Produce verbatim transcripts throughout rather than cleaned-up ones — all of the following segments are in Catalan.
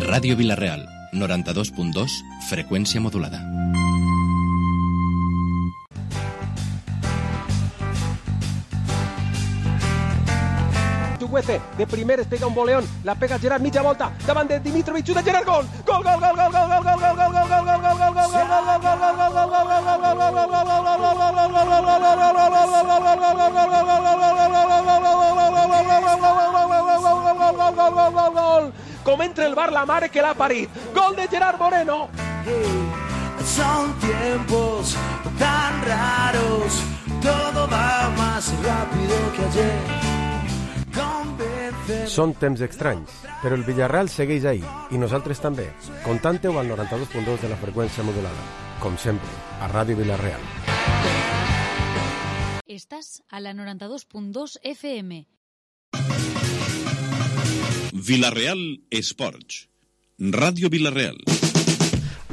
Ràdio Vila-real, noranta-dos punt dos, freqüència modulada. De primer es pega un boleón, la pega Gerard, mitja volta, davant de Dimitrovic, de Gerard, gol! Gol, gol, gol, gol, gol, gol, gol, gol, gol, gol, gol, gol, gol, gol, gol, com entra el bar la mare que l'ha parit. Gol de Gerard Moreno. Son tiempos tan raros, todo va más rápido que ayer. Són temps estranys, però el Villarreal segueix ahí, i nosaltres també. Contante-ho al noranta-dos punt dos de la freqüència modulada. Com sempre, a Ràdio Vila-real. Estàs a la noranta-dos punt dos F M. Vila-real Esports. Ràdio Vila-real.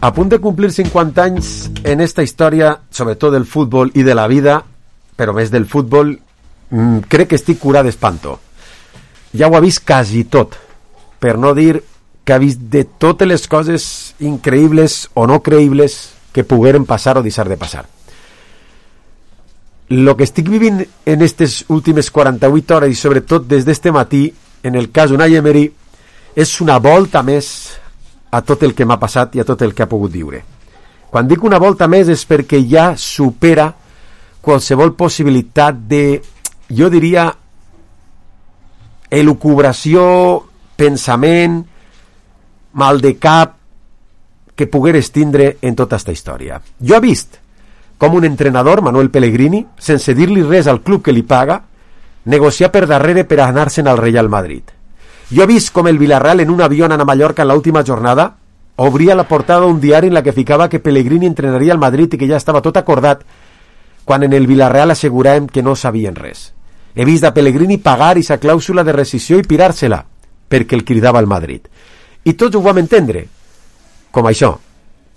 A punt de complir cinquanta anys en esta història, sobretot del futbol i de la vida, però més del futbol, mmm, crec que estic curat d'espanto. Ja ho ha vist quasi tot, per no dir que ha vist de totes les coses increïbles o no creïbles que pogueren passar o deixar de passar. Lo que estic vivint en aquestes últimes quaranta-vuit hores i sobretot des d'este matí, en el cas d'Unai Emery, és una volta més a tot el que m'ha passat i a tot el que ha pogut viure. Quan dic una volta més és perquè ja supera qualsevol possibilitat de, jo diria, elucubració, pensament, mal de cap que pogueres tindre en tota esta història. Jo he vist com un entrenador, Manuel Pellegrini, sense dir-li res al club que li paga, negociar per darrere per anar-se'n al Real Madrid. Jo he vist com el Villarreal en un avió anant a Mallorca en l'última jornada obria la portada d'un diari en la que ficava que Pellegrini entrenaria al Madrid i que ja estava tot acordat, quan en el Villarreal asseguràvem que no sabien res. He vist a Pellegrini pagar aquesta clàusula de rescissió i pirar-se-la, perquè el cridava al Madrid. I tots ho vam entendre, com això,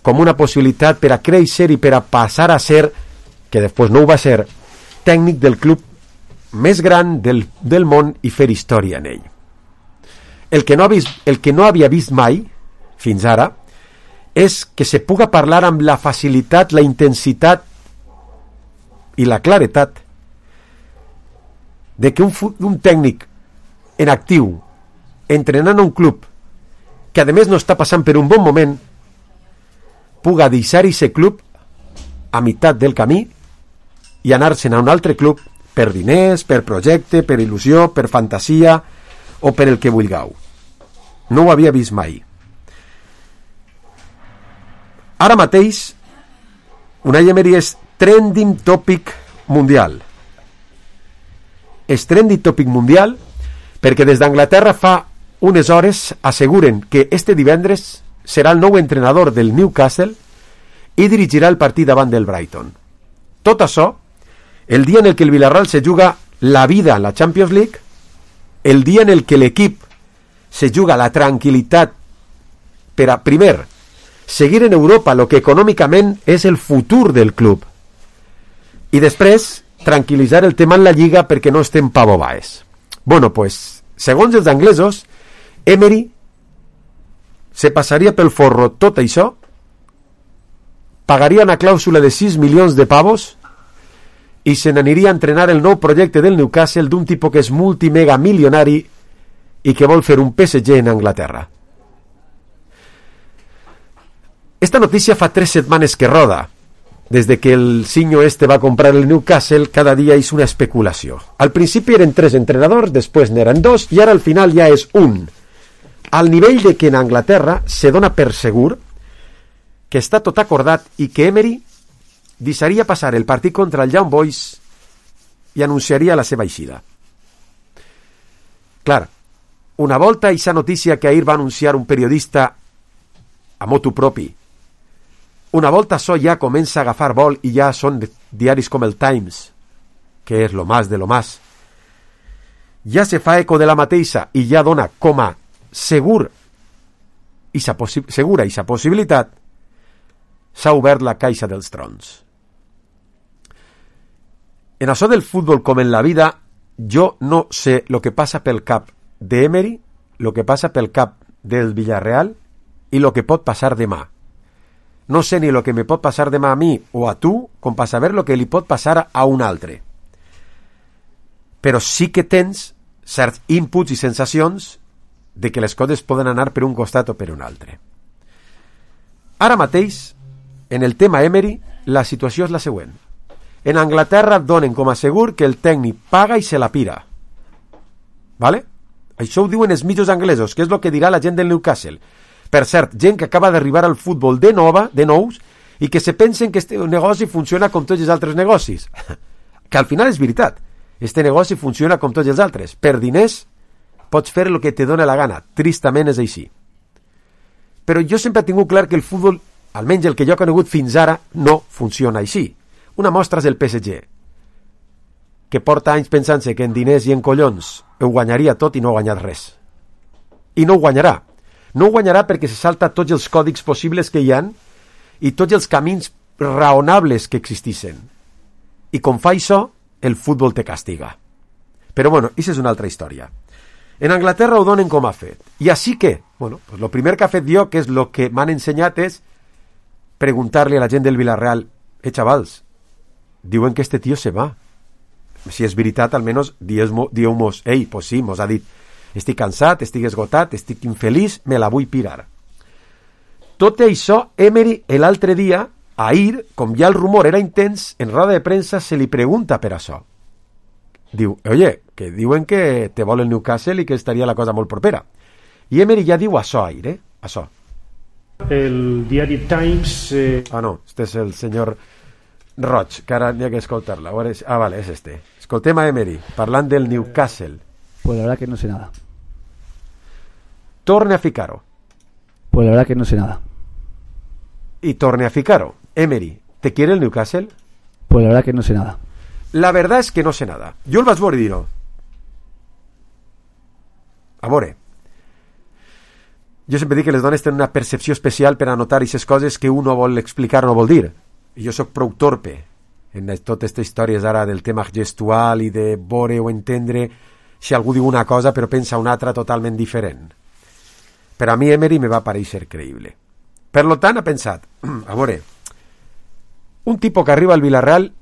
com una possibilitat per a créixer i per a passar a ser, que després no ho va ser, tècnic del club més gran del, del món i fer història en ell. El que, no ha vist, el que no havia vist mai, fins ara, és que se puga parlar amb la facilitat, la intensitat i la claretat de que un, un tècnic en actiu, entrenant a un club que a més no està passant per un bon moment, puga deixar aquest club a meitat del camí i anar-se'n a un altre club per diners, per projecte, per il·lusió, per fantasia o per el que vulgueu. No ho havia vist mai. Ara mateix, Unai Emery és trending topic mundial. És trending topic mundial perquè des d'Anglaterra fa unes hores asseguren que este divendres serà el nou entrenador del Newcastle i dirigirà el partit davant del Brighton. Tot això, el dia en el que el Villarreal se juga la vida en la Champions League, el dia en el que l'equip se juga la tranquil·litat per a, primer, seguir en Europa lo que econòmicament és el futur del club i després tranquil·litzar el tema en la Lliga perquè no estem pavobaes. Bueno, pues, segons els anglesos, Emery se passaria pel forro tot això, pagaria una clàusula de sis milions de pavos i se n'aniria a entrenar el nou projecte del Newcastle d'un tipus que és multimega milionari i que vol fer un P S G en Anglaterra. Esta notícia fa tres setmanes que roda. Des de que el Sinyo este va comprar el Newcastle, cada dia és una especulació. Al principi eren tres entrenadors, després n'eren dos, i ara al final ja és un. Al nivell de que en Anglaterra se dona per segur que està tot acordat i que Emery deixaria passar el partit contra el Young Boys i anunciaria la seva eixida. Clar, una volta aquesta notícia que ahir va anunciar un periodista a motu propi, una volta això ja comença a agafar vol i ja són diaris com el Times, que és lo más de lo más, ja se fa eco de la mateixa i ja dona com a segur ixa possi- segura aquesta possibilitat, s'ha obert la caixa dels trons. En això del futbol com en la vida, jo no sé lo que passa pel cap d'Emery, lo que passa pel cap del Villarreal i lo que pot passar demà. No sé ni lo que me pot passar demà a mi o a tu com per saber lo que li pot passar a un altre. Però sí que tens certs inputs i sensacions de que les coses poden anar per un costat o per un altre. Ara mateix, en el tema Emery, la situació és la següent. En Anglaterra donen com a segur que el tècnic paga i se la pira. Vale? Això ho diuen els mitjos anglesos, que és el que dirà la gent del Newcastle. Per cert, gent que acaba d'arribar al futbol de nova, de nous, i que se pensen que este negoci funciona com tots els altres negocis. Que al final és veritat. Este negoci funciona com tots els altres. Per diners pots fer el que te dona la gana. Tristament és així. Però jo sempre he tingut clar que el futbol, almenys el que jo he conegut fins ara, no funciona així. Una mostra és el P S G, que porta anys pensant-se que en diners i en collons ho guanyaria tot i no ha guanyat res. I no ho guanyarà. No ho guanyarà perquè se salta tots els còdics possibles que hi han i tots els camins raonables que existissin. I com fa això, el futbol te castiga. Però bueno, això és una altra història. En Anglaterra ho donen com a fet. I així que, bueno, pues lo primer que ha fet jo, que és lo que m'han ensenyat, és preguntar-li a la gent del Villarreal: eh, xavals, diuen que este tío se va. Si és veritat, almenys dieu-mos, ei, pues sí, mos ha dit, estic cansat, estic esgotat, estic infeliç, me la vull pirar. Tot això, Emery, l'altre dia, ahir, com ja el rumor era intens, en roda de premsa se li pregunta per això. Diu, oye, que diuen que te vol el Newcastle i que estaria la cosa molt propera. I Emery ja diu això ahir, eh? Això. El diari Times... Eh... Ah, no, este és el senyor Roig, que ara n'hi ha que escoltar-la. Ah, vale, és este. Escoltem a Emery, parlant del Newcastle. Pues la verdad que no sé nada. Torne a ficar-ho. Pues la verdad que no sé nada. Y torne a ficar-ho. Emery, ¿te quiere el Newcastle? Pues la verdad que no sé nada. La verdad és que no sé nada. Jo el vaig veure i dir-ho. A veure, jo sempre dic que les dones tenen una percepció especial per anotar aquestes coses que un no vol explicar, no vol dir. I jo sóc prou torpe en totes aquestes històries ara del tema gestual i de veure o entendre si algú diu una cosa però pensa una altra totalment diferent. Per a mi Emery me va parèixer creïble. Per lo tant, ha pensat, a veure, un tipus que arriba al Villarreal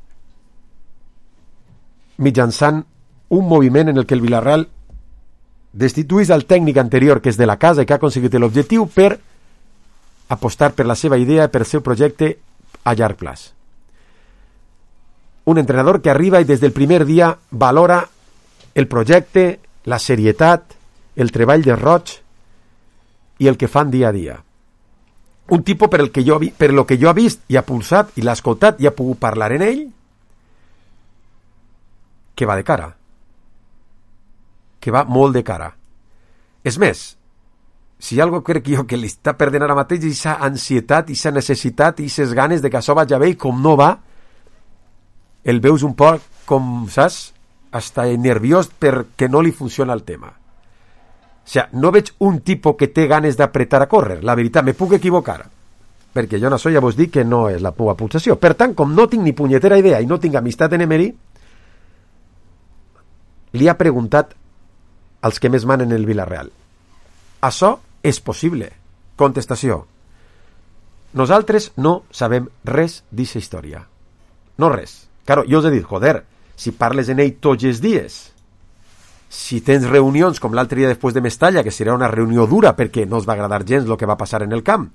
mitjançant un moviment en el que el Villarreal destituís al tècnic anterior, que és de la casa i que ha aconseguit l'objectiu, per apostar per la seva idea, per el seu projecte a llarg plaç. Un entrenador que arriba i des del primer dia valora el projecte, la serietat, el treball de Roig i el que fan dia a dia. Un tipus per el que jo, per lo que jo he vist i ha pulsat i l'ha escoltat i ha pogut parlar en ell, que va de cara. Que va molt de cara. És més, si algo crec jo que li està perdent ara mateix és aquesta ansietat, aquesta necessitat i aquestes ganes de que això vagi bé i com no va, el veus un poc com, saps, hasta nerviós perquè no li funciona el tema. O sigui, no veig un tipus que té ganes d'apretar a córrer. La veritat, me puc equivocar, perquè jo en això ja vos dic que no és la meva pulsació. Per tant, com no tinc ni punyetera idea i no tinc amistat en Emery, li ha preguntat als que més manen el Villarreal: això és possible? Contestació: nosaltres no sabem res d'aquesta història. No res. Claro, jo us he dit, joder, si parles en ell tots els dies, si tens reunions com l'altre dia després de Mestalla, que serà una reunió dura perquè no us va agradar gens el que va passar en el camp,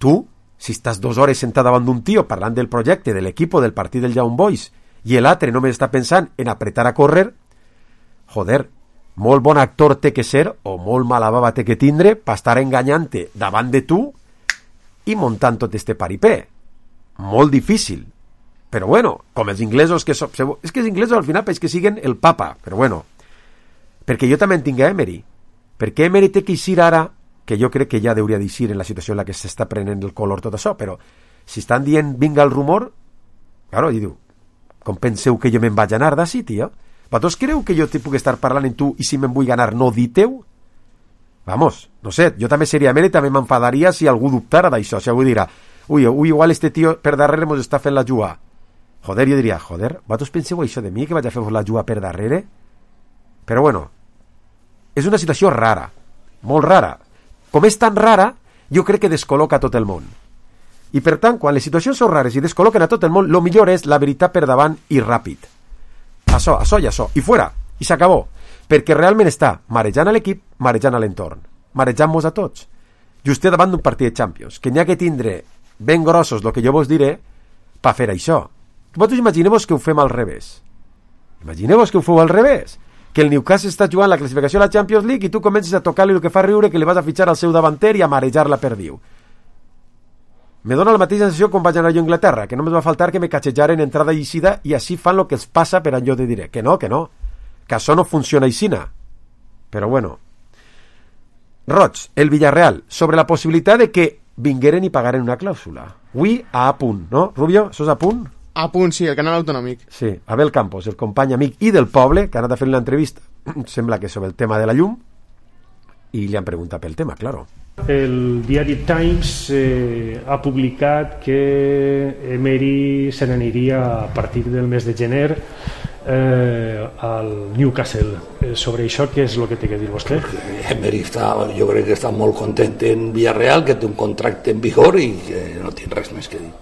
tu, si estàs dues hores sentat davant d'un tio parlant del projecte, de l'equip o del partit del Young Boys, i l'altre només està pensant en apretar a córrer, joder, molt bon actor té que ser o molt mala bava té que tindre per estar enganyant-te davant de tu i muntant tot este paripé. Molt difícil. Però bueno, com els inglesos que són... És que els inglesos al final és que siguen el papa, però bueno. Perquè jo també en tinc a Emery. Perquè Emery té que eixir ara, que jo crec que ja hauria d'eixir en la situació en la que s'està prenent el color tot això, però si estan dient vinga el rumor, claro, i diu, com penseu que jo me'n vaig anar d'ací, tio? Vosaltres creu que jo te puc estar parlant amb tu i si me'n vull ganar no diteu? Vamos, no sé, jo també seria Emery, també m'enfadaria si algú dubtara d'això, si algú dirà, ui, ui, igual este tio per darrere mos està fent la jugada. Joder, jo diria, joder, vosaltres penseu això de mi, que vaig a fer-vos la jugada per darrere? Però bueno, és una situació rara, molt rara. com és tan rara, jo crec que descol·loca tot el món. I per tant, quan les situacions són rares i descol·loquen a tot el món, el millor és la veritat per davant i ràpid. Això, això i això. I fora. I s'acabó. Perquè realment està marejant a l'equip, marejant a l'entorn. Marejant-nos a tots. Just davant d'un partit de Champions. Que n'hi ha que tindre ben grossos el que jo vos diré per fer això. Vosaltres imagineu-vos que ho fem al revés. Imagineu-vos que ho feu al revés. Que el Newcastle està jugant la classificació a la Champions League i tu comences a tocar-li el que fa riure que li vas a fitxar al seu davanter i a marejar la perdiu. Me dona la mateixa sensació quan vaig anar jo a Anglaterra, que només va faltar que me catxejaren entrada i eixida i així fan el que els passa per allò de diré. Que no, que no. Que això no funciona aixina. Però bueno. Roig, el Villarreal, sobre la possibilitat de que vingueren i pagaren una clàusula. Avui a A punt, no? Rubio, això és a punt? A punt, sí, el canal autonòmic. Sí, Abel Campos, el company amic i del poble, que ha anat a fer l'entrevista, sembla que sobre el tema de la llum, i li han preguntat pel tema, claro. El diari Times eh, ha publicat que Emery se n'aniria a partir del mes de gener eh, al Newcastle. Eh, sobre això, què és el que té que dir vostè? Emery està, jo crec que està molt content en Villarreal, que té un contracte en vigor i que no té res més que dir.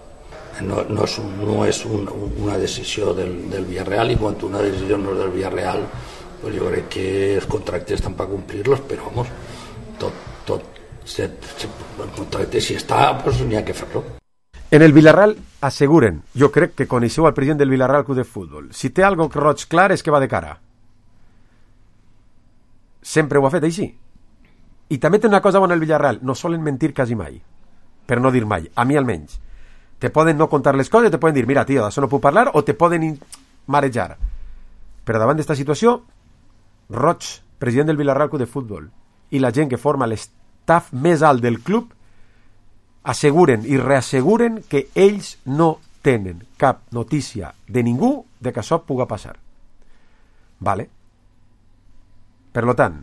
No, no és, un, no és un, una decisió del, del Villarreal, i quan una decisió no és del Villarreal, pues jo crec que els contractes estan per complir-los, però vamos, tot, tot se, se, el contracte si està, pues n'hi ha que fer-lo. En el Villarreal asseguren, jo crec que coneixeu al president del Villarreal Club de Futbol, si té algo roig clar és que va de cara. Sempre ho ha fet així. I també té una cosa bona el Villarreal, no solen mentir quasi mai, per no dir mai, a mi almenys. Te poden no contar les coses, te poden dir, mira, tio, d'això no puc parlar, o te poden marejar. Però davant d'esta situació, Roig, president del Villarreal Club de Futbol, i la gent que forma l'estaf més alt del club, asseguren i reasseguren que ells no tenen cap notícia de ningú de que això puga passar. Vale? Per lo tant,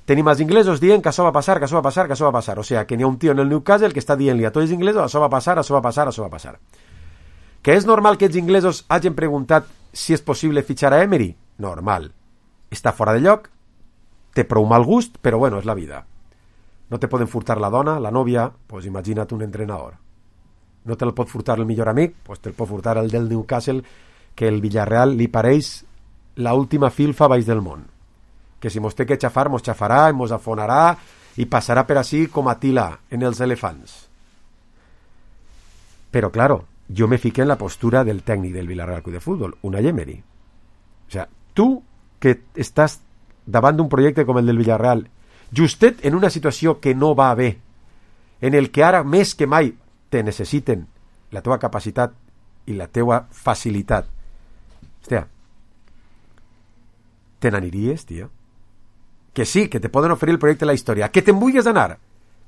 tenim els inglesos dient que això va passar, que això va passar, que això va passar. O sigui, que n'hi ha un tio en el Newcastle que està dient-li a tots els inglesos això va passar, això va passar, això va passar. Que és normal que els inglesos hagin preguntat si és possible fitxar a Emery? Normal. Està fora de lloc, té prou mal gust, però bueno, és la vida. No te poden furtar la dona, la nòvia, pues imagina't un entrenador. No te'l pot furtar el millor amic, pues te'l pot furtar el del Newcastle, que el Villarreal li pareix la última filfa baix del món. Que si mos té que xafar, mos xafarà, mos afonarà i passarà per així com a Tila en els elefants. Però, claro, jo me fiqué en la postura del tècnic del Villarreal Club de Futbol, Unai Emery. O sea, tu que estàs davant d'un projecte com el del Villarreal, justet en una situació que no va bé, en el que ara més que mai te necessiten la teva capacitat i la teva facilitat. Hòstia, te n'aniries, tio? Que sí, que te poden oferir el projecte de la història, que te'n vulguis anar.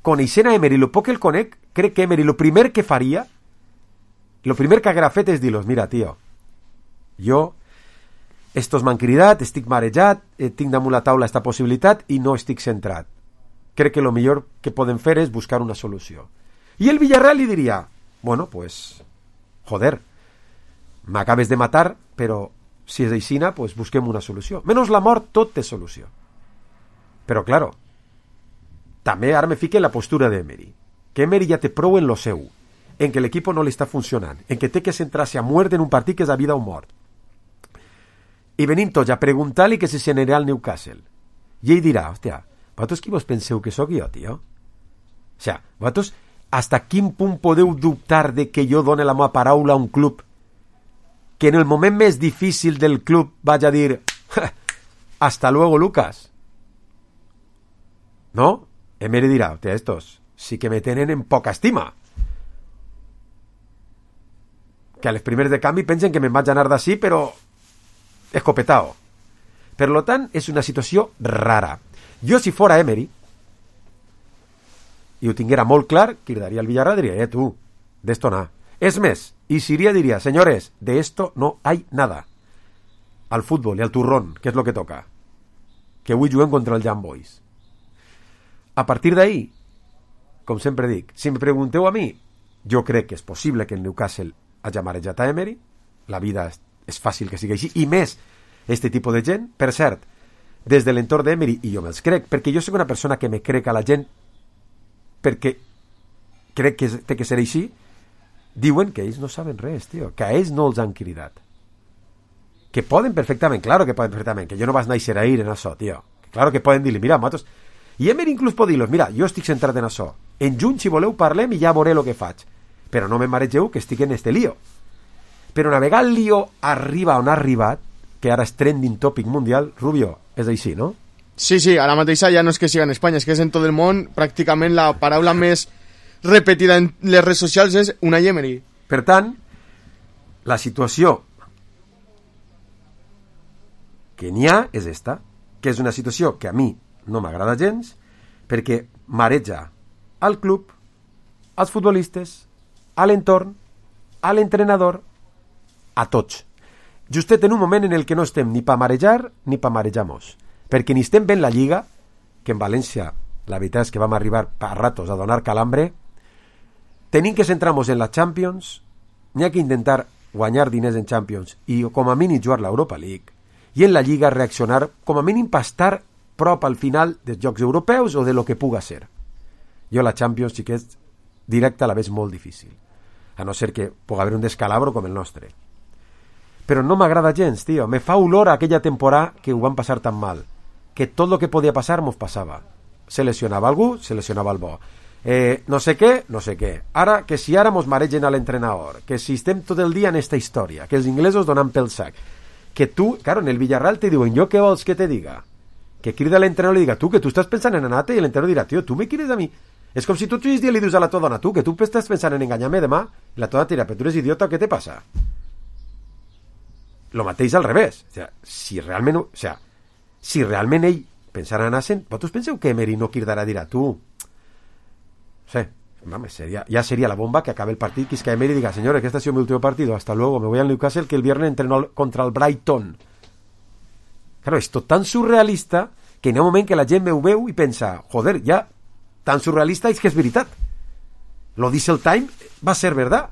Coneixent a Emery, lo poc que el conec, crec que Emery lo primer que faria, lo primer que haguera fet és dir-los, mira, tio, jo, estos m'han cridat, estic marejat, eh, tinc damunt la taula esta possibilitat i no estic centrat. Crec que lo millor que poden fer és buscar una solució. I el Villarreal li diria, bueno, pues, joder, m'acabes de matar, però si és aixina, pues busquem una solució. Menys la mort, tot té solució. Però, claro, també ara me fique en la postura d'Emery. Que Emery ja té prou en lo seu, en que l'equip no li està funcionant, en que té que centrar-se a muerte en un partit que és a vida o mort. I venim tots a preguntar-li que si se n'anirà al Newcastle. I ell dirà, hòstia, vosaltres qui vos penseu que sóc jo, tio? O sea, vosaltres hasta quin punt podeu dubtar de que jo done la meva paraula a un club que en el moment més difícil del club vaig a dir hasta luego, Lucas? ¿No? Emery dirà, hòstia, estos sí que me tenen en poca estima. Que a les primeres de canvi pensen que me'n vaig anar d'ací, però escopetao. Per lo tant, és una situació rara. Jo, si fora Emery, i ho tinguera molt clar, cridaria al Villarreal, diria, eh, tu, d'esto nada. És més, i Siria diria, señores, de esto no hay nada. Al fútbol i al turrón, que és lo que toca. Que avui juguem contra el Young Boys. A partir d'ahí, com sempre dic, si em pregunteu a mi, jo crec que és possible que el Newcastle hagi marejat a Emery, la vida és, és fàcil que sigui així, i més este tipus de gent, per cert, des de l'entorn d'Emery, i jo me'ls crec, perquè jo soc una persona que me crec a la gent perquè crec que té que ser així, diuen que ells no saben res, tio, que a ells no els han cridat. Que poden perfectament, claro que poden perfectament, que jo no vas néixer ahir en això, tio. Que claro que poden dir-li, mira, matos... I Emery inclús pot dir-los, mira, jo estic centrat en això. En juny, si voleu, parlem i ja veuré el que faig. Però no me maregeu que estic en este lío. Però una vegada el lío arriba on ha arribat, que ara és trending topic mundial, Rubio, és així, no? Sí, sí, ara mateixa ja no és que siga en Espanya, és que és en tot el món, pràcticament la paraula més repetida en les redes socials és Unai Emery. Per tant, la situació que n'hi ha és esta, que és una situació que a mi no m'agrada gens, perquè mareja al club, als futbolistes, a l'entorn, a l'entrenador, a tots. Justet en un moment en el que no estem ni pa marejar ni pa marejar-nos, perquè ni estem ben la Lliga, que en València la veritat és que vam arribar a ratos a donar calambre, tenim que centrar-nos en la Champions, n'hi ha que intentar guanyar diners en Champions i com a mínim jugar l'Europa League, i en la Lliga reaccionar com a mínim per estar prop al final dels Jocs Europeus o de lo que puga ser. Jo la Champions sí que és directa a la vez molt difícil, a no ser que pugui haver un descalabro com el nostre. Però no m'agrada gens, tio. Me fa olor a aquella temporada que ho van passar tan mal, que tot lo que podia passar mos passava. Se lesionava algú, se lesionava el bo. Eh, no sé què, no sé què. Ara, que si ara mos maregen a l'entrenador, que si estem tot el dia en esta història, que els inglesos donen pel sac, que tu, claro, en el Villarreal te diuen, jo què vols que te diga? Que crida l'entrenador i li diga, tu, que tu estàs pensant en anar-te, i l'entrenador dirà, tio, tu me quieres a mi? És com si tu tens dia li dius a la tua dona, tu, que tu estàs pensant en enganyar-me demà, i la tua dona dirà, però tu eres idiota, què te passa? Lo mateix al revés. O sea, si realment, o sea, si realment ell pensara en anar-se'n, vosaltres penseu que Emery no cridarà a dir, tu, no sé, Vamos, sería, ya sería la bomba que acabe el partido, que es que Emery diga, señores, que este ha sido mi último partido, hasta luego, me voy al Newcastle, que el viernes entrenó contra el Brighton. Claro, esto tan surrealista que en un moment que la gent me ho veu i pensa, joder, ja, tan surrealista és que és veritat. Lo dice el Time, va ser verdad.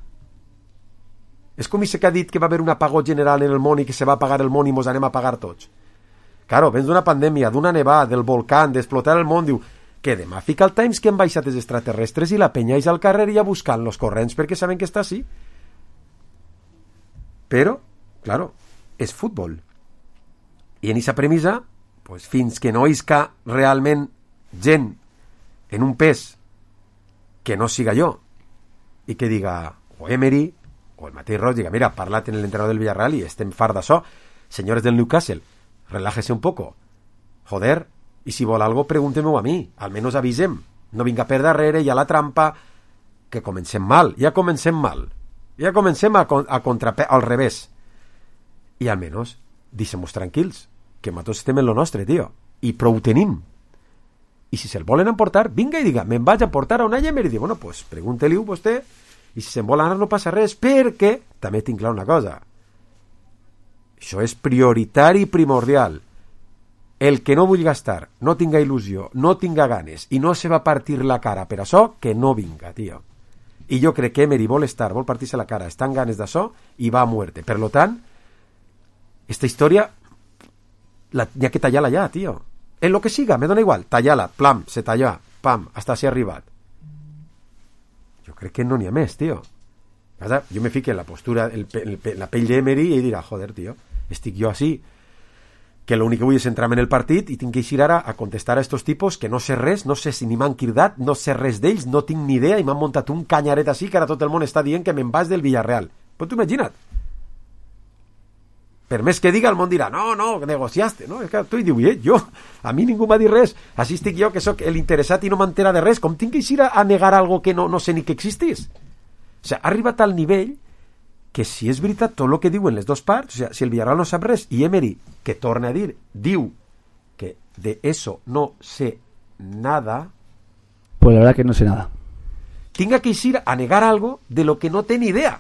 És com si que ha dit que va haver un apagó general en el món i que se va apagar el món i mos anem a apagar tots. Claro, vens d'una pandèmia, d'una nevada, del volcán, d'explotar el món, diu, que demà fica el Times que han baixat els extraterrestres i la penya és al carrer i a buscar los corrents perquè saben que està així. Però, claro, és futbol. I en aquesta premissa, pues, fins que no isca realment gent en un pes que no siga jo i que diga, o Emery o el mateix Roig, diga, mira, parlat en l'entrenador del Villarreal i estem fart d'això, senyores del Newcastle, relájese un poco, joder, i si vol algo pregúnteme-ho a mi, almenys avisem, no vinga per darrere, hi ha la trampa, que comencem mal, ja comencem mal, ja comencem a, a contrape, al revés, i almenys deixem-nos tranquils, que nosaltres estem en lo nostre, tio, i prou tenim, i si se'l volen emportar, vinga i diga, me'n vaig a portar a Unai Emery, i diu, bueno, pues pregunte-li-ho vostè, i si se'n vol anar no passa res, perquè, també tinc clar una cosa, això és prioritari i primordial. El que no vull gastar, no tinga il·lusió, no tinga ganes i no se va partir la cara per això, que no vinga, tio. I jo crec que Emery vol estar, vol partir-se la cara, està en ganes d'això i va a muerte. Per lo tant, esta història la, n'hi ha que tallar-la ja, tio. En lo que siga, me dona igual, tallar-la, plam, se talla, pam, hasta si ha arribat. Jo crec que no n'hi ha més, tio. Jo me fique en la postura, el, el, la pell d'Emery i dirà, joder, tio, estic jo així, que l'únic que vull és centrar-me en el partit i tinc que eixir ara a contestar a estos tipos que no sé res, no sé si ni m'han cridat, no sé res d'ells, no tinc ni idea i m'han muntat un canyaret així que ara tot el món està dient que me'n vas del Villarreal. Però tu imagina't. Per més que diga, el món dirà, no, no, negociaste, no? És que tu hi diu, eh, jo, a mi ningú m'ha dit res, així estic jo que sóc l'interessat i no m'entera de res, com tinc que eixir a, a negar algo que no, no sé ni que existís? O sigui, ha arribat al nivell que si és veritat tot el que diuen les dues parts, o sigui, si el Villarreal no sap res i Emery, que torna a dir, diu que de eso no sé nada, pues la verdad que no sé nada, tinga que ir a negar algo de lo que no té ni idea,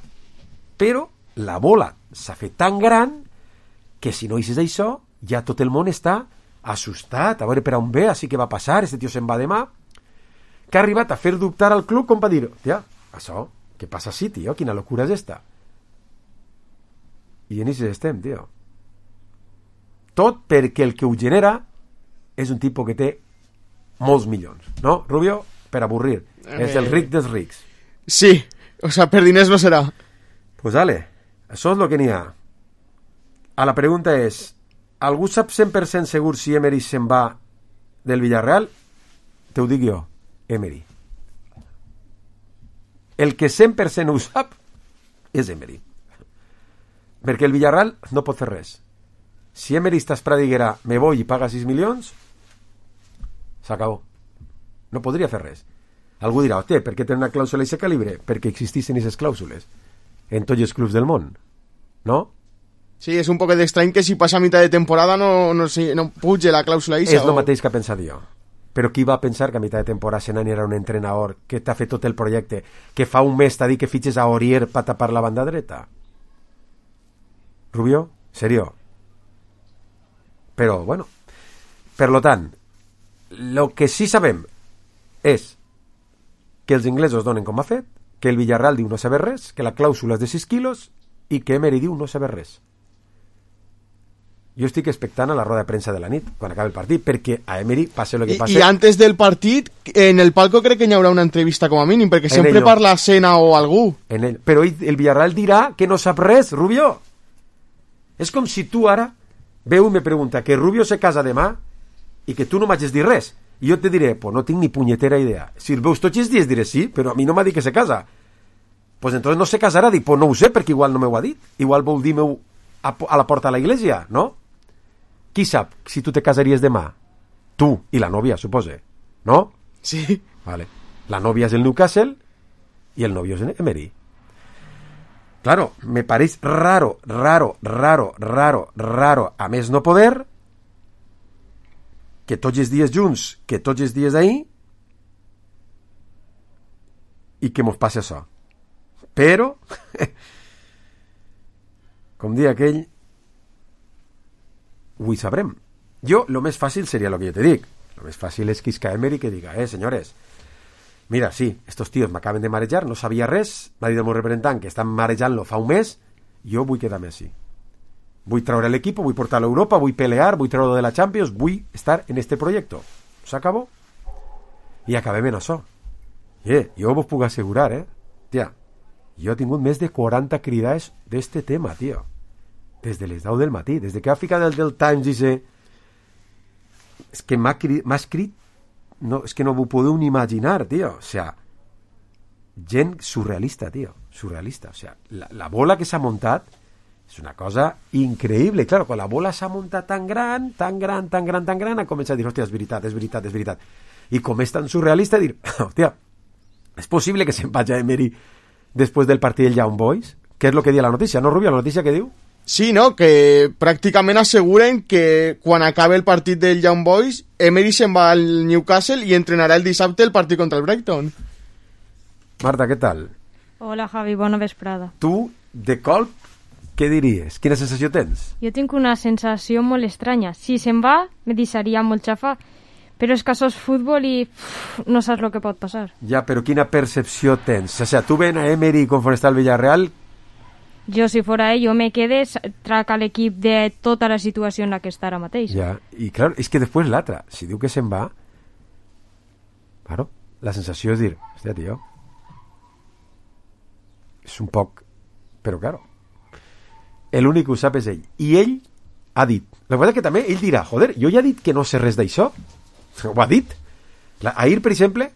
però la bola s'ha fet tan gran que si no hices això ja tot el món està assustat, a veure per on ve, així que va passar, este tio se'n va demà, que ha arribat a fer dubtar al club com va dir, tia, això, què passa així, tio, quina locura és esta? I en això estem, tio. Tot perquè el que ho genera és un tipus que té molts milions, no, Rubio? Per avorrir. És el ric dels rics. Sí, o sea, per diners no serà. Pues dale, això és el que n'hi ha. A la pregunta és, algú sap cent per cent segur si Emery se'n va del Villarreal? Te ho dic jo, Emery. El que cent per cent ho sap és Emery. Perquè el Villarreal no pot fer res. Si Emery està esperant i diguera me voy i paga sis milions, s'acabó. No podria fer res. Algú dirà, hòstia, per què té una clàusula d'aquest calibre? Perquè existissin aquestes clàusules en tots els clubs del món, no? Sí, és un poc estrany que si passa a mitad de temporada no, no, no puge la clàusula Isa. És el o... mateix que ha pensat jo. Però qui va pensar que a mitad de temporada Senani era un entrenador que t'ha fet tot el projecte, que fa un mes t'ha dit que fitxes a Aurier per tapar la banda dreta? Rubio? Serio? Però, bueno, per lo tant, lo que sí sabem és que els inglesos donen com ha fet, que el Villarreal diu no saber res, que la clàusula és de sis quilos i que Emery diu no saber res. Jo estic expectant a la roda de premsa de la nit, quan acabi el partit, perquè a Emery passe el que passe... I, I antes del partit, en el palco crec que hi haurà una entrevista com a mínim, perquè en sempre no. parla Sena o algú. En ell. Però ell, el Villarreal dirà que no sap res, Rubio. És com si tu ara veu i me pregunta que Rubio se casa demà i que tu no m'hagis dit res. I jo te diré, pues no tinc ni punyetera idea. Si el veus tots els dies diré sí, però a mi no m'ha dit que se casa. Pues entonces no se casarà. Dic, pues no ho sé, perquè igual no m'ho ha dit. Igual vol dir-me a, a la porta de la iglesia, no? Qui sap si tu te casaries demà? Tu i la nòvia, supose. No? Sí. Vale. La nòvia és el Newcastle i el novio és Emery. Claro, me pareix raro, raro, raro, raro, raro, a més no poder, que tots els dies junts, que tots els dies d'ahir, i que mos passe això. Però, com dia aquell, ho hi sabrem. Jo, lo més fàcil seria lo que jo te dic. Lo més fàcil és que isca Emery que diga, eh, senyores, mira, sí, estos tíos m'acaben de marejar, no sabia res, m'ha dit el meu representant que estan marejant-lo fa un mes, jo vull quedar-me així. Vull treure l'equip, vull portar-lo a Europa, vull pelear, vull treure-lo de la Champions, vull estar en este proyecto. S'acabó. I acabem en això. Eh, jo vos puc assegurar, eh, tia, jo he tingut més de quaranta cridades d'este tema, tio. Des de les deu del matí, des de que ha ficat el del Times dice, és que m'ha escrit, no, és que no ho podeu ni imaginar, tio. O sea, gent surrealista, tio, surrealista. O sea, la, la bola que s'ha muntat és una cosa increïble. Claro, quan la bola s'ha muntat tan gran, tan gran, tan gran, tan gran, ha començat a dir, hòstia, és veritat, és veritat, és veritat. I com és tan surrealista, dir, hòstia, és possible que se'n vagi a Emery després del partit del Young Boys? Què és el que diu la notícia, no, Rubio? La notícia que diu? Sí, no, que pràcticament asseguren que quan acabe el partit del Young Boys, Emery se'n va al Newcastle i entrenarà el dissabte el partit contra el Brighton. Marta, què tal? Hola, Javi, bona vesprada. Tu, de colp, què diries? Quina sensació tens? Jo tinc una sensació molt estranya. Si se'n va, me deixaria molt xafa, però és que això és futbol i uf, no saps el que pot passar. Ja, però quina percepció tens? O sea, tu ven a Emery conforme està el Villarreal... Jo, si fora ell, jo me quedé, traca l'equip de tota la situació en la que està ara mateix. Ja, i clar, és que després l'altra, si diu que se'n va, claro, la sensació és dir, hòstia, tio, és un poc, però claro, l'únic que ho sap és ell, i ell ha dit, la veritat que també ell dirà, joder, jo ja he dit que no sé res d'això, ho ha dit, la, ahir, per exemple,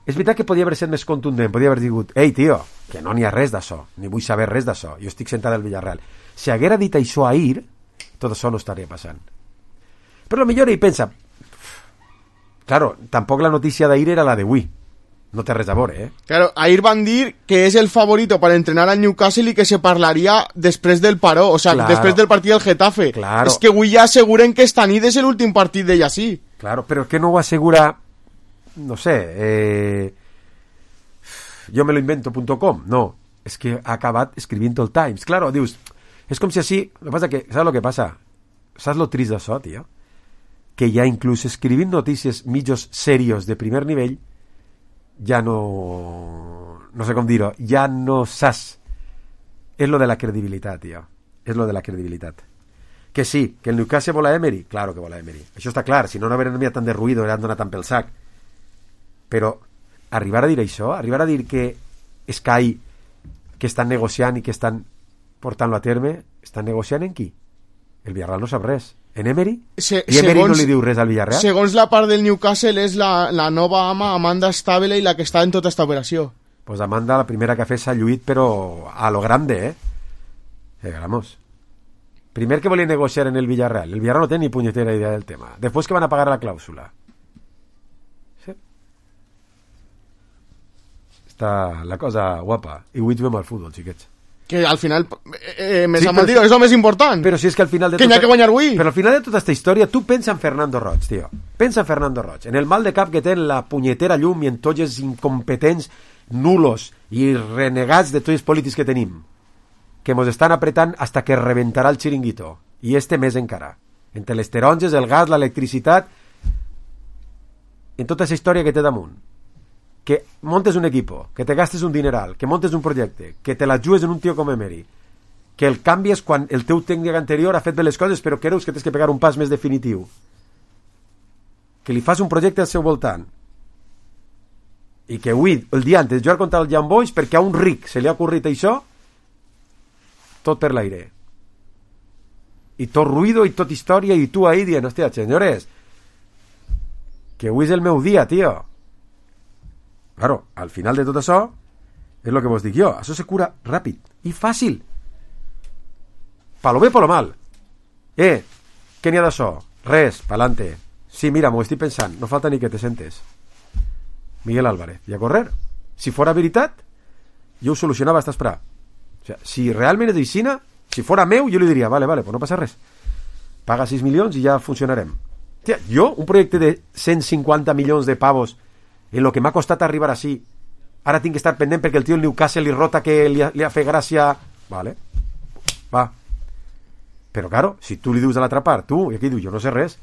és veritat que podia haver estat més contundent, podia haver dit, ei, tio, que no n'hi ha res d'això, ni vull saber res d'això, jo estic sentat al Villarreal. Si haguera dit això ahir, tot això no estaria passant. Però potser ell pensa, claro, tampoc la notícia d'ahir era la d'avui, no té res a veure, eh? Claro, ahir van dir que és el favorito para entrenar al Newcastle i que se parlaria després del paró, o sea, claro, després del partit del Getafe. Claro. És que avui ja asseguren que esta nit és l'últim partit d'ell així. Claro, però que no ho assegura... no sé, eh, yo me lo invento punto com, no, es que ha acabat escrivint el Times, claro, dius, és com si així, lo que pasa que, saps lo que passa? Saps lo trist d'això, tio? Que ja inclús escrivint notícies mitjos serios de primer nivell, ja no, no sé com dir-ho, ja no saps, és lo de la credibilitat, tio, és lo de la credibilitat. Que sí, que el Newcastle vol a Emery, claro que vol a Emery, això està clar, si no no haurien enviat tant de ruïdo, hauran donat tant pel sac. Però arribar a dir això, arribar a dir que Sky, que estan negociant i que estan portant-lo a terme, estan negociant en qui? El Villarreal no sap res. En Emery? Se, I Emery segons, no li diu res al Villarreal? Segons la part del Newcastle és la, la nova ama Amanda Staveley la que està en tota esta operació. Pues Amanda, la primera que ha fet s'ha lluït, però a lo grande, eh? Eh, vamos. Primer que volia negociar en el Villarreal. El Villarreal no té ni punyetera idea del tema. Després que van a pagar la clàusula. Sí. Està la cosa guapa. I avui juguem al futbol, xiquets. Que al final eh, me Sí, s'ha però- dit, és el més important. Però si és que al final de Que n'hi ha que guanyar avui. Però al final de tota aquesta història, tu pensa en Fernando Roig, tio. Pensa en Fernando Roig. En el mal de cap que té en la punyetera llum i en tots els incompetents, nulos i renegats de tots els polítics que tenim, que mos estan apretant hasta que reventarà el xiringuito. I este més encara. Entre les taronges, el gas, l'electricitat, en tota aquesta història que té damunt. Que montes un equipo, que te gastes un dineral, que montes un projecte, que te la jugues en un tio com Emery, que el canvies quan el teu tècnic anterior ha fet bé les coses però creus que tens que pegar un pas més definitiu, que li fas un projecte al seu voltant i que avui, el dia antes de jugar contra el Young Boys, perquè a un ric se li ha ocorrit això, tot per l'aire i tot ruïdo i tot història i tu ahí dient, hòstia, senyores, que avui és el meu dia, tio. Claro, al final de tot això és el que vos dic jo, això se cura ràpid i fàcil, pa lo bé pa lo mal. Eh, què n'hi ha d'això? Res, pa'lante. Sí, mira, m'ho estic pensant, no falta ni que te sentes. Miguel Álvarez, i a correr. Si fora veritat, jo ho solucionava hasta esperar. O sea, si realment és d'Ixina, si fora meu, jo li diria, vale, vale, pues no passa res. Paga sis milions i ja funcionarem. Tia, jo, un projecte de cent cinquanta milions de pavos en lo que m'ha costat arribar així, ara tinc que estar pendent perquè el tio el Newcastle li rota que li ha, li ha fet gràcia, vale, va. Però claro, si tu li dius a l'altra part, tu, i aquí diu, jo no sé res,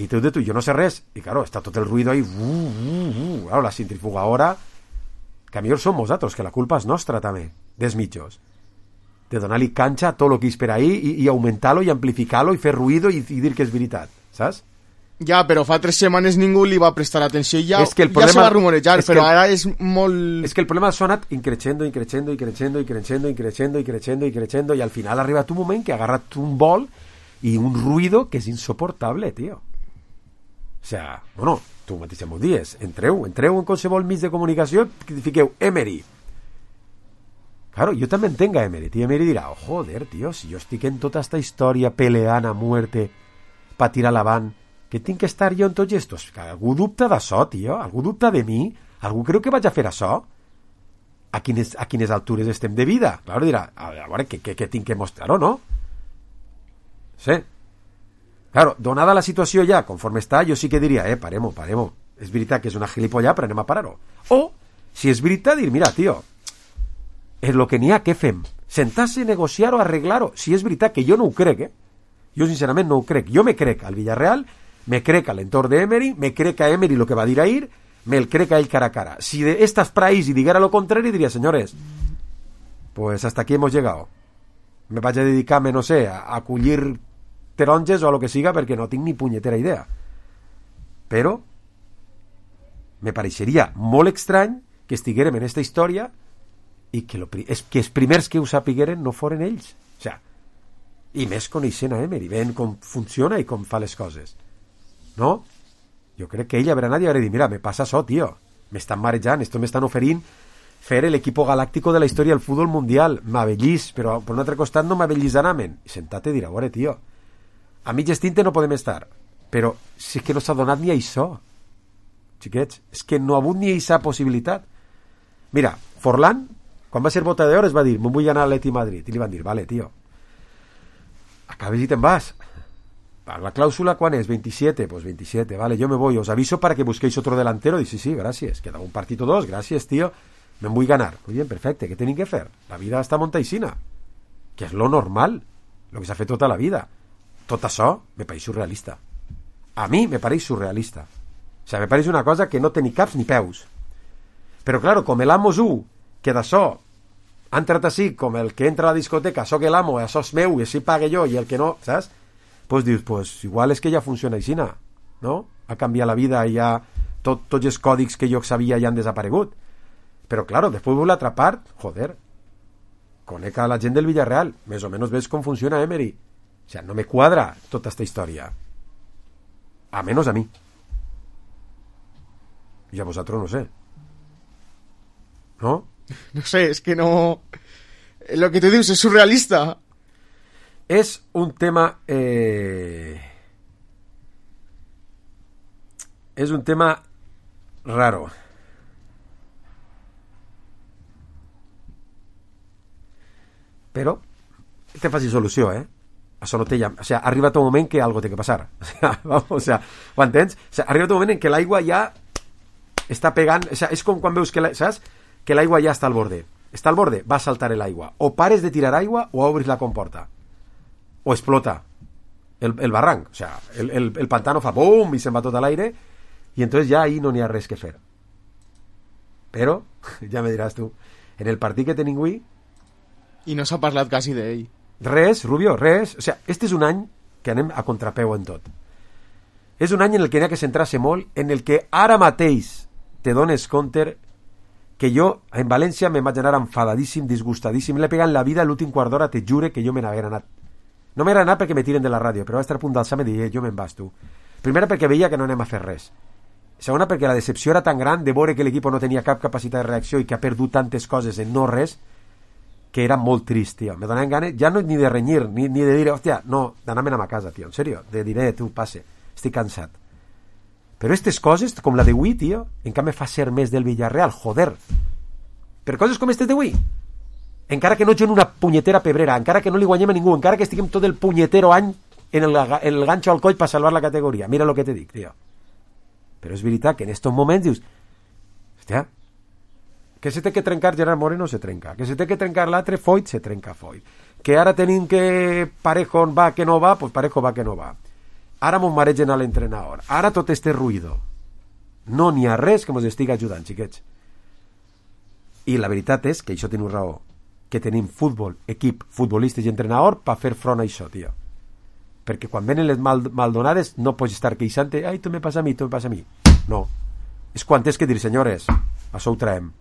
i tu de tu, jo no sé res, i claro, està tot el ruido ahí, uh, uh, uh, claro, la centrifugadora, que a millor som nosaltres, que la culpa és nostra també, dels mitjos, de donar-li canxa a tot el que és per ahí, i, i augmentar-lo, i amplificar-lo, i fer ruido, i, i dir que és veritat, saps? Ja, però fa tres setmanes ningú li va prestar atenció i ja, És que el ja problema- se va rumorejar, és que però el- ara és molt... Es que el problema ha anat increixendo, increixendo, increixendo, increixendo, increixendo, increixendo, increixendo, i al final ha arribat un moment que ha agarrat un vol i un ruido que és insoportable, tio. O sea, bueno, tu mateix m'ho dies, entreu, entreu en qualsevol mig de comunicació i fiqueu Emery. Claro, jo també entenc a Emery, tio. Emery dirà, oh, joder, tio, si jo estic en tota esta història peleant a muerte pa tirar l'avant, que tinc que estar jo en tots estos? Que algú dubta d'això, tio? Algú dubta de mi? Algú creu que vaig a fer això? A quines, a quines altures estem de vida? Claro, dirà, a veure, què, què, què tinc que mostrar o no? Sí. Claro, donada la situació ja, conforme està, jo sí que diria, eh, parem-ho, parem-ho. És veritat que és una gilipollà, però anem a parar-ho. O, si és veritat, dir, mira, tio, és lo que n'hi ha, què fem? Sentar-se, negociar o arreglar-ho. Si és veritat, que jo no ho crec, eh? Jo sincerament no ho crec. Jo me crec al Villarreal, me crec a l'entorn d'Emery, me crec a Emery lo que va dir ahir, me el crec a ell cara a cara. Si de estas praís y dijera lo contrario, diría, señores, pues hasta aquí hemos llegado. Me vaig a dedicar-me, no sé, a, a collir taronges o a lo que siga, perquè no tinc ni punyetera idea. Però me pareixeria molt estrany que estiguérem en esta història i que, lo, es, que els primers que ho sapigueren no foren ells. O sea, i més coneixent a Emery, veient com funciona i com fa les coses. No? Jo crec que ell haurà anat i haurà dit, mira, me passa això, tio, m'estan marejant, esto m'estan oferint fer l'equipo galáctico de la història del futbol mundial, m'avellís, però per un altre costat no m'avellisanamen. I sentat i dir, a veure, tio, a mitges tinte no podem estar, però si és que no s'ha donat ni això, xiquets, és que no ha hagut ni aquesta possibilitat. Mira, Forlán, quan va ser bota d'or, es va dir, me'n vull anar a l'Eti Madrid, i li van dir, vale, tio, acabes i te'n vas. La cláusula, ¿cuán es? veintisiete, pues veintisiete, vale, yo me voy, os aviso para que busquéis otro delantero. Dice, sí, sí, gracias, queda un partido dos, gracias, tío, me voy a ganar. Muy bien, perfecte, ¿qué tienen que hacer? La vida està montaisina, que és lo normal, lo que s'ha fet tota la vida. Tot això me pareix surrealista. A mi me pareix surrealista. O sea, me pareix una cosa que no té ni caps ni peus. Però, claro, com l'Amos u, que d'això ha entrat així, com el que entra a la discoteca, això que l'amo, això és meu, i així pague jo, i el que no, saps? Pues dius, pues igual és que ja funciona així, no? Ha canviat la vida i ja tot, tots els còdics que jo sabia ja han desaparegut. Però, claro, després vull l'altra part, joder, conec a la gent del Villarreal, més o menys ves com funciona Emery. O sea, no me cuadra tota esta història. A menos a mi. Y a vosotros no sé. ¿No? No sé, es que no... Lo que tú dices es surrealista. Es un tema... Eh... Es un tema raro. Però té fàcil solució, eh? Això no té ja... O sea, ha arribat un moment que algo té que passar. O sea, vamos, o sea, ho entens? O sea, ha arribat un moment en què l'aigua ja està pegant... O sea, és com quan veus que la... saps? Que l'aigua ja està al borde. Està al borde, va a saltar l'aigua. O pares de tirar aigua o obris la comporta. O explota el, el barranc. O sea, el, el, el pantano fa boom i se'n va tot a l'aire i entonces ja ahí no n'hi ha res que fer. Però, ja me diràs tu, en el partit que tenim avui... I no s'ha parlat quasi d'ell. Res, Rubio, res. O sea, este és un any que anem a contrapeu en tot. És un any en el que n'hi ha que centrar-se molt, en el que ara mateix te dones compte que jo en València me vaig anar enfadadíssim, disgustadíssim, l'he pegat en la vida l'últim quart d'hora, te jure que jo me n'haguera anat. No m'haguera anat perquè me tiren de la ràdio, però vaig estar a punt d'alçar-me i dir, eh, jo me'n vas tu. Primera perquè veia que no anem a fer res. Segona perquè la decepció era tan gran de veure que l'equip no tenia cap capacitat de reacció i que ha perdut tantes coses en no res, que era molt trist, tio. Me donaven ganes, ja no ni de renyir, ni, ni de dir, hòstia, no, d'anar-me'n a casa, tio, en sèrio, de dir, eh, tu, passe, estic cansat. Però aquestes coses, com la d'avui, tio, encara me fa ser més del Villarreal, joder. Per coses com aquestes d'avui, encara que no jo en una punyetera pebrera, encara que no li guanyem a ningú, encara que estiguem tot el punyetero any en el, en el ganxo al coll per salvar la categoria, mira lo que te dic, tio. Però és veritat que en estos moments dius, hòstia, que se té que trencar Gerard Moreno se trenca, que se té que trencar l'altre Foyt se trenca Foyt, que ara tenim que Parejo va que no va, pues Parejo va que no va, ara mos maregen a l'entrenador, ara tot este ruïdo, no n'hi ha res que mos estigui ajudant, xiquets. I la veritat és que això teniu raó, que tenim futbol, equip, futbolistes i entrenador per fer front a això, tio. Perquè quan venen les mal, maldonades no pots estar queixant-te, ai, tu me passa a mi, tu me passa a mi. No. És quan tens que dir, senyores, això ho traem.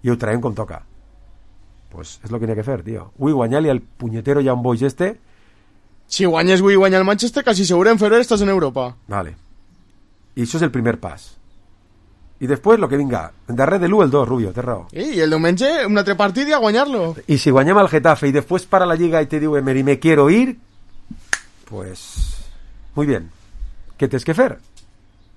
I ho traem com toca. Pues és el que n'hi ha que fer, tio. Ui, guanyar-li al punyetero Young Boys este... Si guanyes avui i guanya el Manchester, quasi segur en febrer estàs en Europa. Vale. I això és el primer pas. I després lo que vinga. En darrer de l'u el dos, Rubio, té raó. I el diumenge un altre partit i a guanyar-lo. I si guanyem al Getafe i després para la Lliga i te diu Emery, me quiero ir, pues... Muy bien. ¿Qué tens que fer?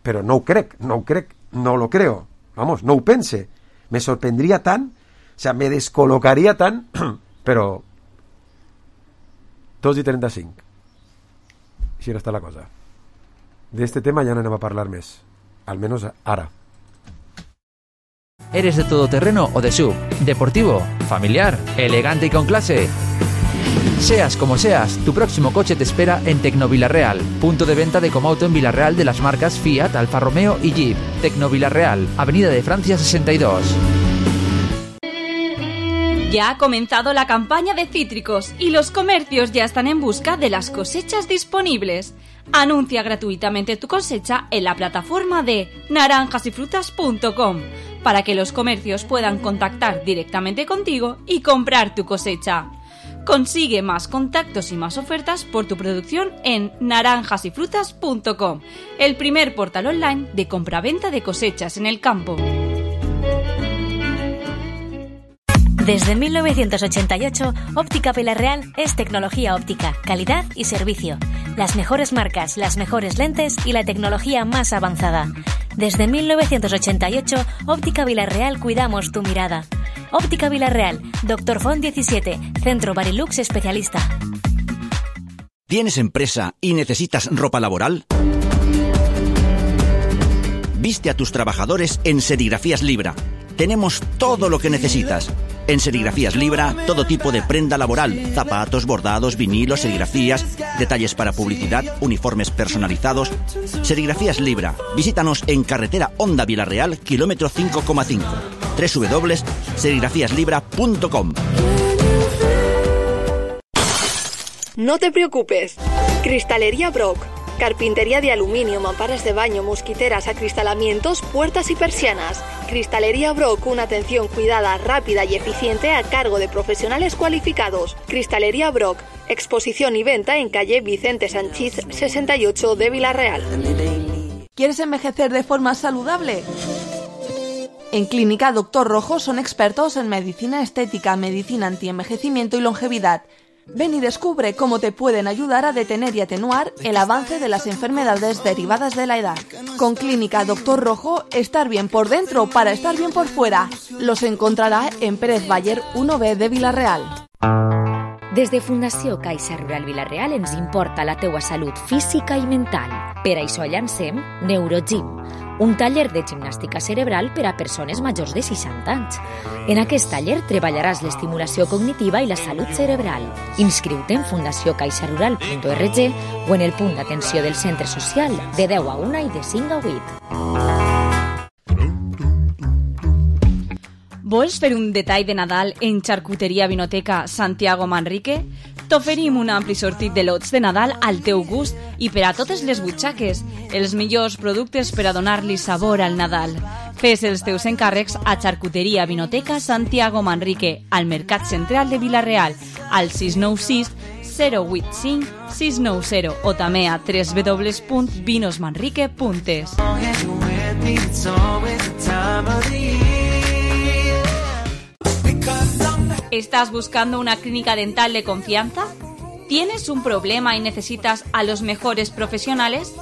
Però no ho crec, no ho crec, no lo creo. Vamos, no ho pense. Me sorprendría tan, o sea, me descolocaría tan, pero dos y treinta y cinco. Si no está la cosa. De este tema ya no anem a parlar més, al menos ara. ¿Eres de todoterreno o de S U V? ¿Deportivo? ¿Familiar? ¿Elegante y con clase? Seas como seas, tu próximo coche te espera en Tecnovilarreal, punto de venta de Comauto en Villarreal de las marcas Fiat, Alfa Romeo y Jeep. Tecnovilarreal, Avenida de Francia sesenta y dos. Ya ha comenzado la campaña de cítricos y los comercios ya están en busca de las cosechas disponibles. Anuncia gratuitamente tu cosecha en la plataforma de naranjas y frutas punto com para que los comercios puedan contactar directamente contigo y comprar tu cosecha. Consigue más contactos y más ofertas por tu producción en naranjas y frutas punto com, el primer portal online de compraventa de cosechas en el campo. Desde mil novecientos ochenta y ocho, Óptica Villarreal es tecnología óptica, calidad y servicio. Las mejores marcas, las mejores lentes y la tecnología más avanzada. Desde mil novecientos ochenta y ocho, Óptica Villarreal cuidamos tu mirada. Óptica Villarreal, Doctor Font diecisiete, Centro Barilux Especialista. ¿Tienes empresa y necesitas ropa laboral? Viste a tus trabajadores en Serigrafías Libra. Tenemos todo lo que necesitas. En Serigrafías Libra, todo tipo de prenda laboral, zapatos, bordados, vinilos, serigrafías, detalles para publicidad, uniformes personalizados. Serigrafías Libra. Visítanos en carretera Honda Villarreal, kilómetro cinco coma cinco. doble u doble u doble u punto serigrafías libra punto com. No te preocupes. Cristalería Brock. Carpintería de aluminio, mamparas de baño, mosquiteras, acristalamientos, puertas y persianas. Cristalería Brock, una atención cuidada, rápida y eficiente a cargo de profesionales cualificados. Cristalería Brock, exposición y venta en calle Vicente Sanchís sesenta y ocho de Villarreal. ¿Quieres envejecer de forma saludable? En Clínica Doctor Rojo son expertos en medicina estética, medicina antienvejecimiento y longevidad. Ven y descubre cómo te pueden ayudar a detener y atenuar el avance de las enfermedades derivadas de la edad. Con Clínica Doctor Rojo, estar bien por dentro para estar bien por fuera. Los encontrarà en Pérez Baller uno B de Villarreal. Des de Fundació Caixa Rural Villarreal ens importa la teua salut física i mental. Per això llancem Neurogym, un taller de gimnàstica cerebral per a persones majors de seixanta anys. En aquest taller treballaràs l'estimulació cognitiva i la salut cerebral. Inscriu-te en fundació caixa rural punt org o en el punt d'atenció del centre social de deu a una i de cinc a vuit. Vols fer un detall de Nadal en Xarcuteria Vinoteca Santiago Manrique? T'oferim un ampli sortit de lots de Nadal al teu gust i per a totes les butxaques, els millors productes per a donar-li sabor al Nadal. Fes els teus encàrrecs a Xarcuteria Vinoteca Santiago Manrique, al Mercat Central de Villarreal, al sis nou sis zero vuit cinc sis nou zero o també a w w w punt vinosmanrique punt es. ¿Estás buscando una clínica dental de confianza? ¿Tienes un problema y necesitas a los mejores profesionales?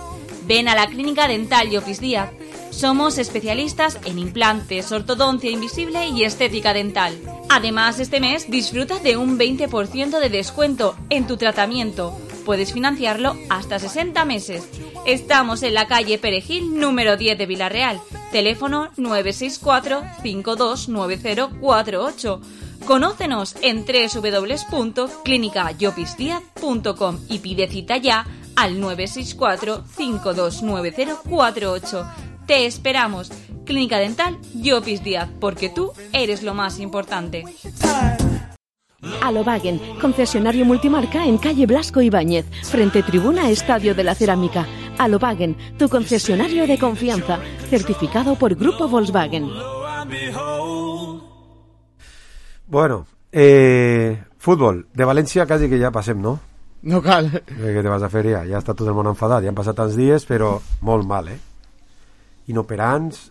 Ven a la Clínica Dental Llopis Díaz. Somos especialistas en implantes, ortodoncia invisible y estética dental. Además, este mes disfruta de un veinte por ciento de descuento en tu tratamiento. Puedes financiarlo hasta sesenta meses. Estamos en la calle Perejil, número diez de Villarreal. Teléfono nueve seis cuatro cinco dos nueve cero cuatro ocho. Conócenos en w w w punto clínica llopis díaz punto com y pide cita ya al nueve seis cuatro cinco dos nueve cero cuatro ocho. Te esperamos. Clínica Dental Llopis Díaz, porque tú eres lo más importante. Alobagen, concesionario multimarca en calle Blasco Ibáñez, frente tribuna Estadio de la Cerámica. Alobagen, tu concesionario de confianza, certificado por Grupo Volkswagen. Bueno, eh, fútbol. De València quasi que ja passem, no? No cal. Eh, que te vas a fer ja? Ja està tot el món enfadat. Ja han passat tants dies, però molt mal, eh? Inoperants.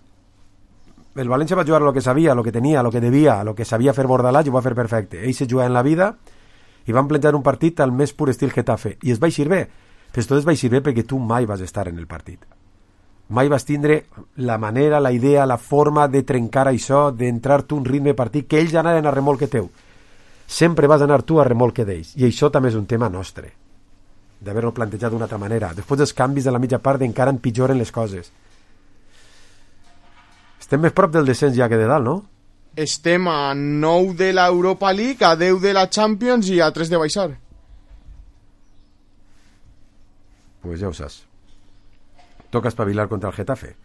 El València va jugar a lo que sabia, a lo que tenia, a lo que devia, a lo que sabia fer Bordalàs i ho va fer perfecte. Ells se jugaven la vida i van plantejar un partit al més pur estil Getafe. I es va eixir bé. Però tot es va eixir bé perquè tu mai vas estar en el partit. Mai vas tindre la manera, la idea, la forma de trencar això, d'entrar tu un ritme de partit, que ells anaven a remolque teu. Sempre vas anar tu a remolque d'ells. I això també és un tema nostre, d'haver-ho plantejat d'una altra manera. Després dels canvis de la mitja part encara empitjoren les coses. Estem més prop del descens ja que de dalt, no? Estem a nou de l'Europa League, a deu de la Champions i a tres de baixar. Pues ja ho saps. Toca espavilar contra el Getafe,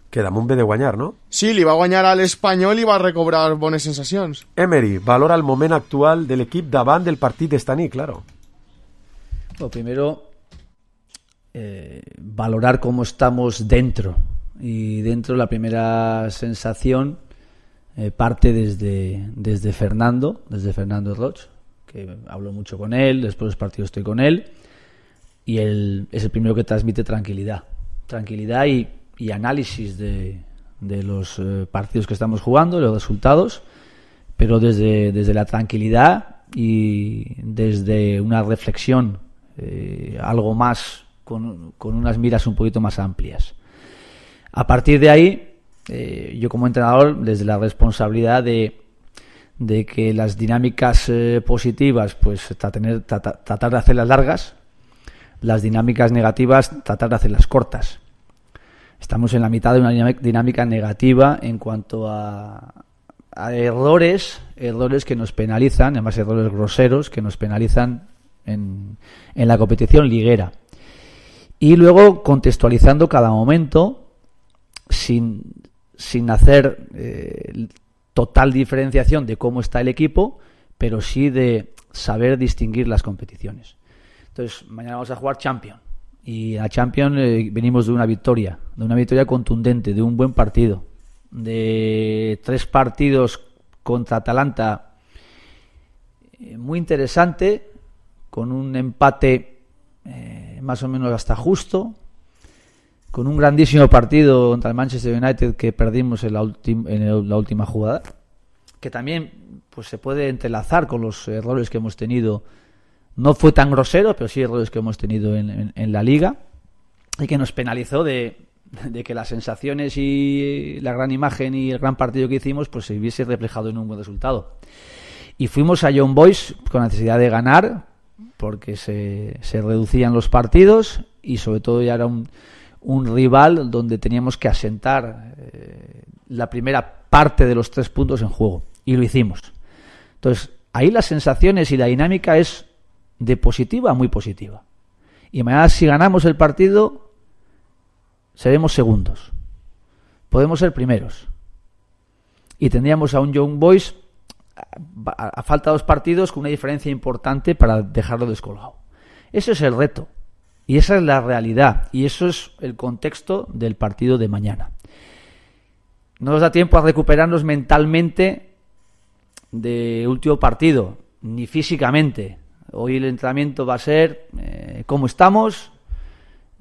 que damunt ve de guanyar, no? Sí, li va guanyar a l'Espanyol i va recobrar bones sensacions. Emery, valora el moment actual de l'equip davant del partit d'esta nit, claro. Lo primero, eh, valorar cómo estamos dentro. Y dentro la primera sensación eh, parte desde, desde Fernando, desde Fernando Roig, que hablo mucho con él, después de los partidos estoy con él, y él es el primero que transmite tranquilidad. Tranquilidad y, y análisis de, de los eh, partidos que estamos jugando, de los resultados, pero desde, desde la tranquilidad y desde una reflexión eh, algo más, con, con unas miras un poquito más amplias. A partir de ahí, eh, yo como entrenador, desde la responsabilidad de, de que las dinámicas eh, positivas, pues tratar, tratar, tratar de hacerlas largas, las dinámicas negativas, tratar de hacerlas cortas. Estamos en la mitad de una dinámica negativa en cuanto a, a errores, errores que nos penalizan, además errores groseros que nos penalizan en, en la competición liguera. Y luego contextualizando cada momento, sin, sin hacer eh, total diferenciación de cómo está el equipo, pero sí de saber distinguir las competiciones. Entonces, mañana vamos a jugar Champions. Y a Champions eh, venimos de una victoria, de una victoria contundente, de un buen partido, de tres partidos contra Atalanta eh, muy interesante, con un empate eh, más o menos hasta justo, con un grandísimo partido contra el Manchester United que perdimos en la, ulti- en el, la última jugada, que también pues se puede entrelazar con los errores que hemos tenido. No fue tan grosero, pero sí errores que hemos tenido en, en, en la Liga, y que nos penalizó de, de que las sensaciones y la gran imagen y el gran partido que hicimos pues se hubiese reflejado en un buen resultado. Y fuimos a Young Boys con la necesidad de ganar, porque se, se reducían los partidos y sobre todo ya era un, un rival donde teníamos que asentar eh, la primera parte de los tres puntos en juego, y lo hicimos. Entonces, ahí las sensaciones y la dinámica es de positiva a muy positiva. Y mañana, si ganamos el partido, seremos segundos. Podemos ser primeros. Y tendríamos a un Young Boys a, a falta de dos partidos con una diferencia importante para dejarlo descolgado. Ese es el reto. Y esa es la realidad. Y eso es el contexto del partido de mañana. No nos da tiempo a recuperarnos mentalmente del último partido, ni físicamente. Hoy el entrenamiento va a ser eh, cómo estamos,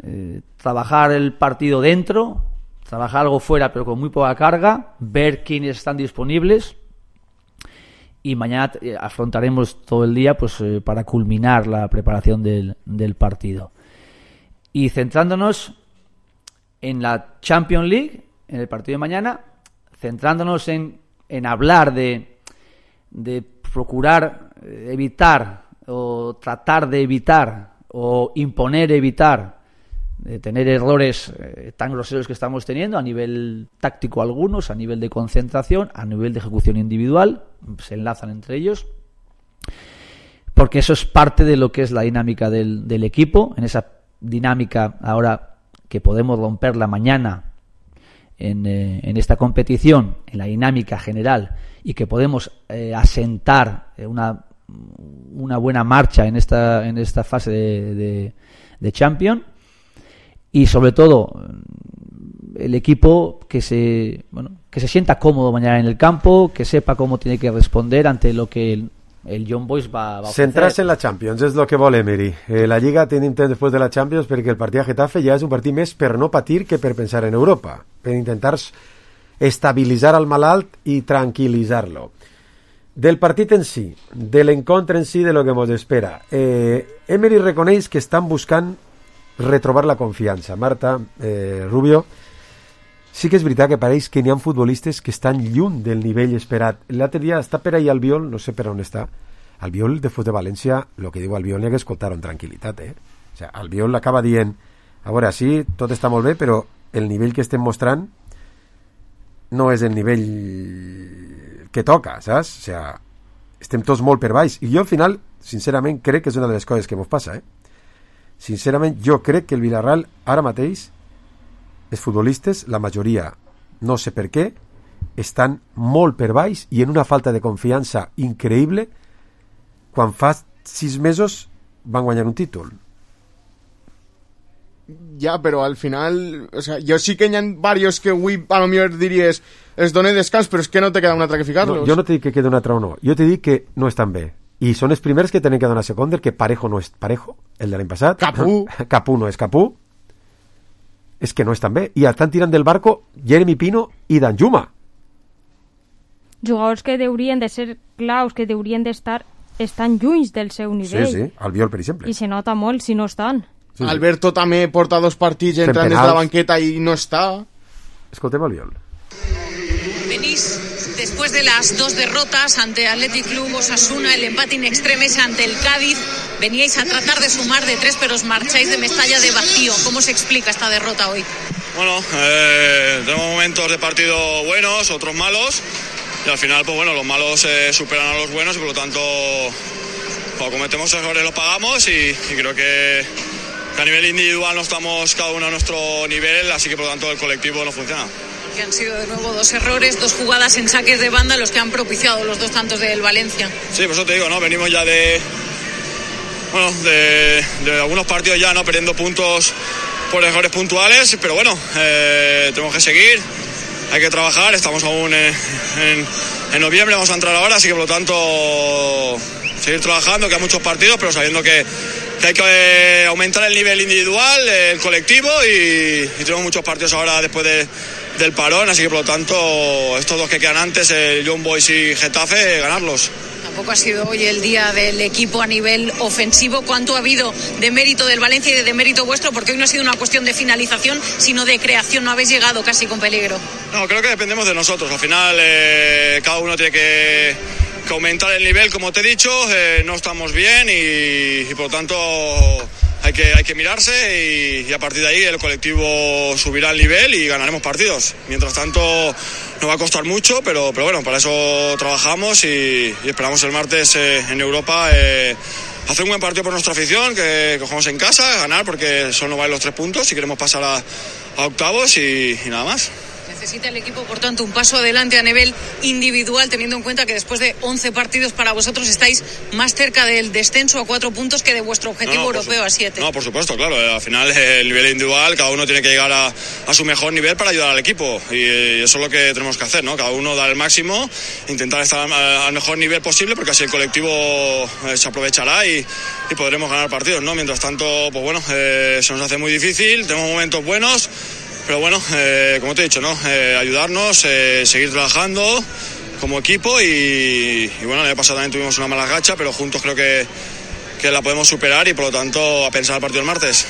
eh, trabajar el partido dentro, trabajar algo fuera pero con muy poca carga, ver quiénes están disponibles, y mañana eh, afrontaremos todo el día pues eh, para culminar la preparación del, del partido. Y centrándonos en la Champions League, en el partido de mañana, centrándonos en, en hablar de, de procurar eh, evitar o tratar de evitar o imponer evitar de tener errores eh, tan groseros que estamos teniendo a nivel táctico algunos, a nivel de concentración, a nivel de ejecución individual, se enlazan entre ellos, porque eso es parte de lo que es la dinámica del, del equipo. En esa dinámica, ahora que podemos romperla mañana en, eh, en esta competición, en la dinámica general, y que podemos eh, asentar una una buena marcha en esta en esta fase de, de, de Champions, y sobre todo el equipo que se bueno que se sienta cómodo mañana en el campo, que sepa cómo tiene que responder ante lo que el, el Young Boys va, va a centrarse en la Champions és el que vol Emery. Eh, la Lliga tenim temps després de la Champions, perquè el partit a Getafe ja és un partit més per no patir que per pensar en Europa, per intentar estabilitzar al malalt i tranquil·litzar-lo. Del partit en si, de l'encontre en si, de lo que ens espera. Eh, Emery reconeix que estan buscant retrobar la confiança. Marta, eh, Rubio, sí que és veritat que pareix que n'hi ha futbolistes que estan lluny del nivell esperat. L'altre dia està per ahí Albiol, no sé per on està. Albiol, després de València, el que diu Albiol n'hi ha que escoltar amb tranquil·litat. Eh? O sea, Albiol acaba dient, a veure, sí, tot està molt bé, però el nivell que estem mostrant no és el nivell que toca, saps? O sea, estem tots molt per baix. I jo al final, sincerament, crec que és una de les coses que ens passa, eh? Sincerament, jo crec que el Villarreal ara mateix, els futbolistes, la majoria, no sé per què, estan molt per baix i en una falta de confiança increïble quan fa sis mesos van guanyar un títol. Ja, però al final, o sea, jo sí que hi ha varios que avui a lo millor diries es donen descans, però és que no te queda un altre que ficar-los. No, jo no te dic que queda un altre o no, jo te dic que no estan bé, i són els primers que tenen que donar seconder, que Parejo no és Parejo, el de l'any passat, Capú Capú no és Capú, és que no estan bé, i estan tirant del barco Jeremy Pino i Danjuma, jugadors que haurien de ser claus, que haurien d'estar estan lluny del seu nivell. Sí, sí, Albiol, per exemple, i se nota molt si no estan. Sí. Alberto també porta dos partits entrant des de la banqueta i no està. Escoltem Albiol. Venís después de las dos derrotas ante Athletic Club, Osasuna, el empate in extremis ante el Cádiz. Veníais a tratar de sumar de tres, pero os marcháis de Mestalla de vacío. ¿Cómo se explica esta derrota hoy? Bueno, eh, tenemos momentos de partido buenos, otros malos. Y al final, pues bueno, los malos eh, superan a los buenos y por lo tanto, cuando cometemos errores los pagamos y, y creo que, que a nivel individual no estamos cada uno a nuestro nivel, así que por lo tanto el colectivo no funciona. Que han sido de nuevo dos errores, dos jugadas en saques de banda los que han propiciado los dos tantos del Valencia. Sí, por eso te digo, ¿no? Venimos ya de, bueno, de, de algunos partidos ya, ¿no? Perdiendo puntos por errores puntuales, pero bueno, eh, tenemos que seguir, hay que trabajar, estamos aún en, en, en noviembre, vamos a entrar ahora, así que por lo tanto seguir trabajando, que hay muchos partidos, pero sabiendo que, que hay que eh, aumentar el nivel individual, el colectivo y, y tenemos muchos partidos ahora después de, del parón, así que por lo tanto estos dos que quedan antes, el Young Boys y Getafe, ganarlos. Tampoco ha sido hoy el día del equipo a nivel ofensivo. ¿Cuánto ha habido de mérito del Valencia y de mérito vuestro? Porque hoy no ha sido una cuestión de finalización, sino de creación. No habéis llegado casi con peligro. No, creo que dependemos de nosotros. Al final, eh, cada uno tiene que, que aumentar el nivel, como te he dicho. Eh, no estamos bien y, y por lo tanto hay que, hay que mirarse y, y a partir de ahí el colectivo subirá el nivel y ganaremos partidos. Mientras tanto, nos va a costar mucho, pero, pero bueno, para eso trabajamos y, y esperamos el martes eh, en Europa eh, hacer un buen partido por nuestra afición, que, que jugamos en casa, ganar porque solo nos valen los tres puntos y queremos pasar a, a octavos y, y nada más. Necesita el equipo, por tanto, un paso adelante a nivel individual, teniendo en cuenta que después de once partidos para vosotros estáis más cerca del descenso a cuatro puntos que de vuestro objetivo no, no, europeo su- a siete. No, por supuesto, claro. Al final, el nivel individual, cada uno tiene que llegar a, a su mejor nivel para ayudar al equipo. Y, y eso es lo que tenemos que hacer, ¿no? Cada uno dar el máximo, intentar estar al, al mejor nivel posible, porque así el colectivo eh, se aprovechará y, y podremos ganar partidos, ¿no? Mientras tanto, pues bueno, eh, se nos hace muy difícil, tenemos momentos buenos. Pero bueno, eh, como te he dicho, ¿no? Eh, ayudarnos, eh, seguir trabajando como equipo y, y bueno, el año pasado también tuvimos una mala racha, pero juntos creo que, que la podemos superar y por lo tanto a pensar el partido el martes.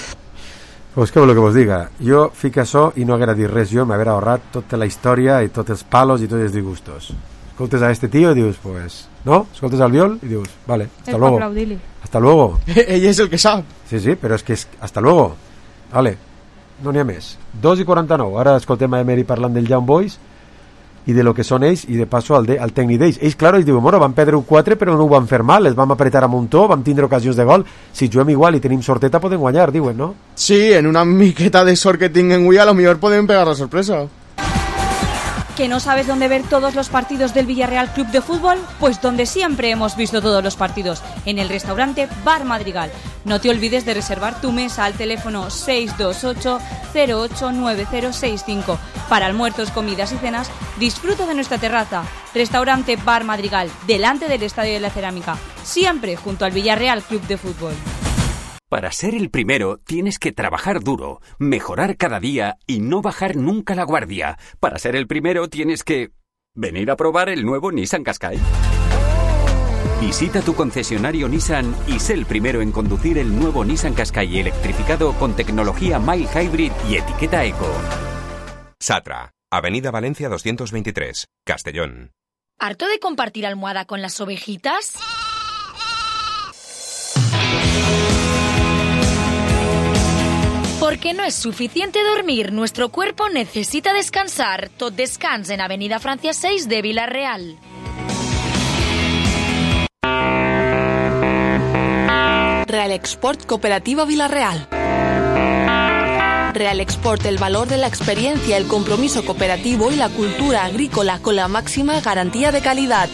Pues què voleu que vos diga? Jo fic això i no haguera dit res jo, m'haguera ahorrat tota la història i tots els palos i tots els disgustos. Escoltes a este tío y dius, pues, ¿no? Escoltes al viol y dius, vale, hasta Es luego. para aplaudirle. Hasta luego. Ella es el que sabe. Sí, sí, però és que és... hasta luego. Vale, no n'hi ha més. dos i quaranta-nou. Ara escoltem a Emery parlant del Young Boys i de lo que són ells i de passo al, de, al tècnic d'ells. Ells, claro, ells diuen, bueno, van perdre un quatre però no ho van fer mal, els vam apretar a muntó, vam tindre ocasions de gol, si juguem igual i tenim sorteta podem guanyar, diuen, no? Sí, en una miqueta de sort que tinguen avui a lo millor podem pegar la sorpresa. ¿Que no sabes dónde ver todos los partidos del Villarreal Club de Fútbol? Pues donde siempre hemos visto todos los partidos, en el restaurante Bar Madrigal. No te olvides de reservar tu mesa al teléfono seis dos ocho cero ocho nueve cero seis cinco. Para almuerzos, comidas y cenas, disfruta de nuestra terraza. Restaurante Bar Madrigal, delante del Estadio de la Cerámica, siempre junto al Villarreal Club de Fútbol. Para ser el primero tienes que trabajar duro, mejorar cada día y no bajar nunca la guardia. Para ser el primero tienes que venir a probar el nuevo Nissan Qashqai. Visita tu concesionario Nissan y sé el primero en conducir el nuevo Nissan Qashqai electrificado con tecnología Mild Hybrid y etiqueta Eco. Satra, Avenida Valencia doscientos veintitrés, Castellón. ¿Harto de compartir almohada con las ovejitas? Porque no es suficiente dormir, nuestro cuerpo necesita descansar. Tot Descans en Avenida Francia seis de Villarreal. Real Export Cooperativa Villarreal. Real Export, el valor de la experiencia, el compromiso cooperativo y la cultura agrícola con la máxima garantía de calidad.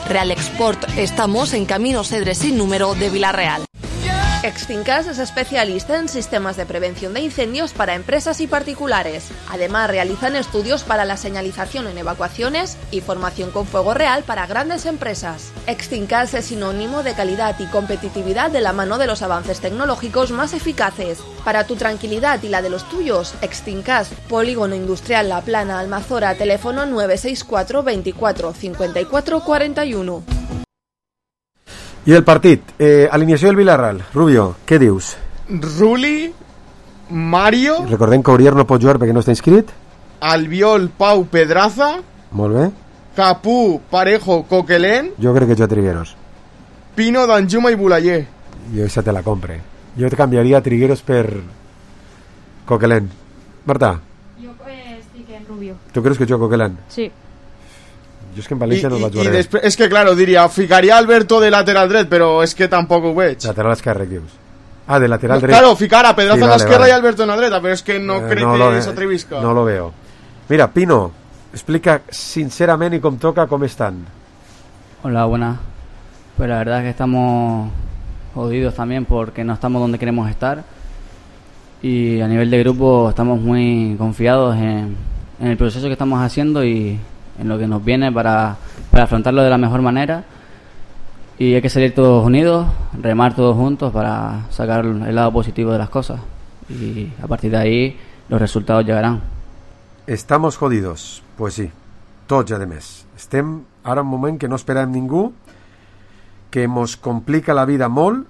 Real Export, estamos en Camino Cedre sin número de Villarreal. Extincas es especialista en sistemas de prevención de incendios para empresas y particulares. Además, realizan estudios para la señalización en evacuaciones y formación con fuego real para grandes empresas. Extincas es sinónimo de calidad y competitividad de la mano de los avances tecnológicos más eficaces. Para tu tranquilidad y la de los tuyos, Extincas, Polígono Industrial La Plana, Almazora, teléfono nueve seis cuatro veinticuatro cincuenta y cuatro cuarenta y uno. I el partit, eh, alineació del Villarreal. Rubio, què dius? Ruli, Mario... Recordem que Aurier no pot jugar perquè no està inscrit. Albiol, Pau, Pedraza... Molt bé. Capú, Parejo, Coquelén... Jo crec que jo Trigueros. Pino, Danjuma i Bulayer. Jo esa te la compre. Jo te canviaria Trigueros per Coquelén. Marta? Jo eh, estic en Rubio. Tu creus que jo Coquelén? Sí. Jo és que en València I, no i, vaig i veure. després, és que, claro, diria, ficaria Alberto de lateral dret, però és que tampoc ho veig. Lateral esquerre, dius? Ah, de lateral No, dret. claro, ficar a Pedraza Sí, a vale, l'esquerra vale. i Alberto en la dreta, però és que no Eh, crec no que lo, s'atrevisca. No lo veo. Mira, Pino, explica sincerament y com toca cómo están. Hola, buenas. Pues la verdad es que estamos jodidos también porque no estamos donde queremos estar. Y a nivel de grupo estamos muy confiados en, en el proceso que estamos haciendo y en lo que nos viene para, para afrontarlo de la mejor manera. Y hay que salir todos unidos, remar todos juntos para sacar el lado positivo de las cosas. Y a partir de ahí los resultados llegarán. Estamos jodidos, pues sí, tots a més. Estem ara en un moment que no esperem ningú, que mos complica la vida molt,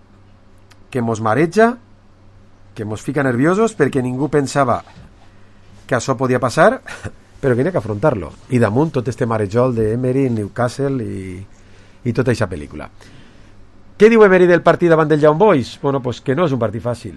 que mos mareja, que mos fica nerviosos perquè ningú pensava que això podia passar, però que n'hi ha que afrontar-lo. I damunt tot este marejol d'Emery, Newcastle i, i tota aquesta pel·lícula. Què diu Emery del partit davant del Young Boys? Bueno, pues que no és un partit fàcil,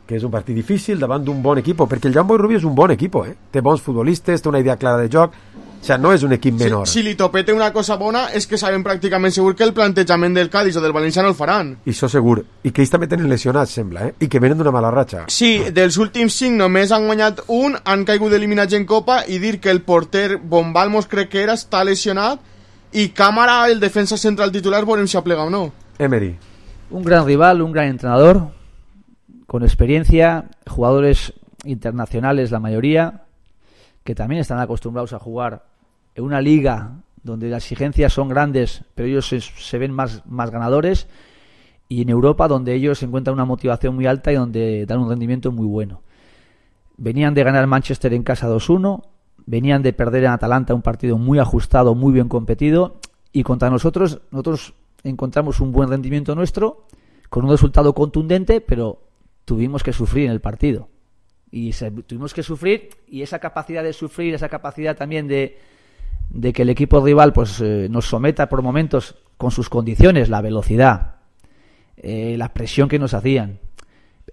que és un partit difícil davant d'un bon equip, perquè el Young Boys Rubio és un bon equip, eh? Té bons futbolistes, té una idea clara de joc, o sea, no és un equip menor. Si, si li topete una cosa bona és que sabem pràcticament segur que el plantejament del Cádiz o del València no el faran. I això segur. I que ells també tenen lesionats, sembla, eh? I que venen d'una mala ratxa. Sí, dels últims cinc només han guanyat un, han caigut eliminats en Copa i dir que el porter Bombalmos crec que era, està lesionat i Cámara, el defensa central titular, veurem si aplega o no. Emery. Un gran rival, un gran entrenador, con experiencia, jugadores internacionales la mayoría, que también están acostumbrados a jugar en una liga donde las exigencias son grandes, pero ellos se, se ven más, más ganadores, y en Europa donde ellos encuentran una motivación muy alta y donde dan un rendimiento muy bueno. Venían de ganar Manchester en casa dos uno, venían de perder en Atalanta un partido muy ajustado, muy bien competido, y contra nosotros, nosotros encontramos un buen rendimiento nuestro, con un resultado contundente, pero tuvimos que sufrir en el partido. Y se, tuvimos que sufrir, y esa capacidad de sufrir, esa capacidad también de, de que el equipo rival pues eh, nos someta por momentos con sus condiciones, la velocidad, eh, la presión que nos hacían.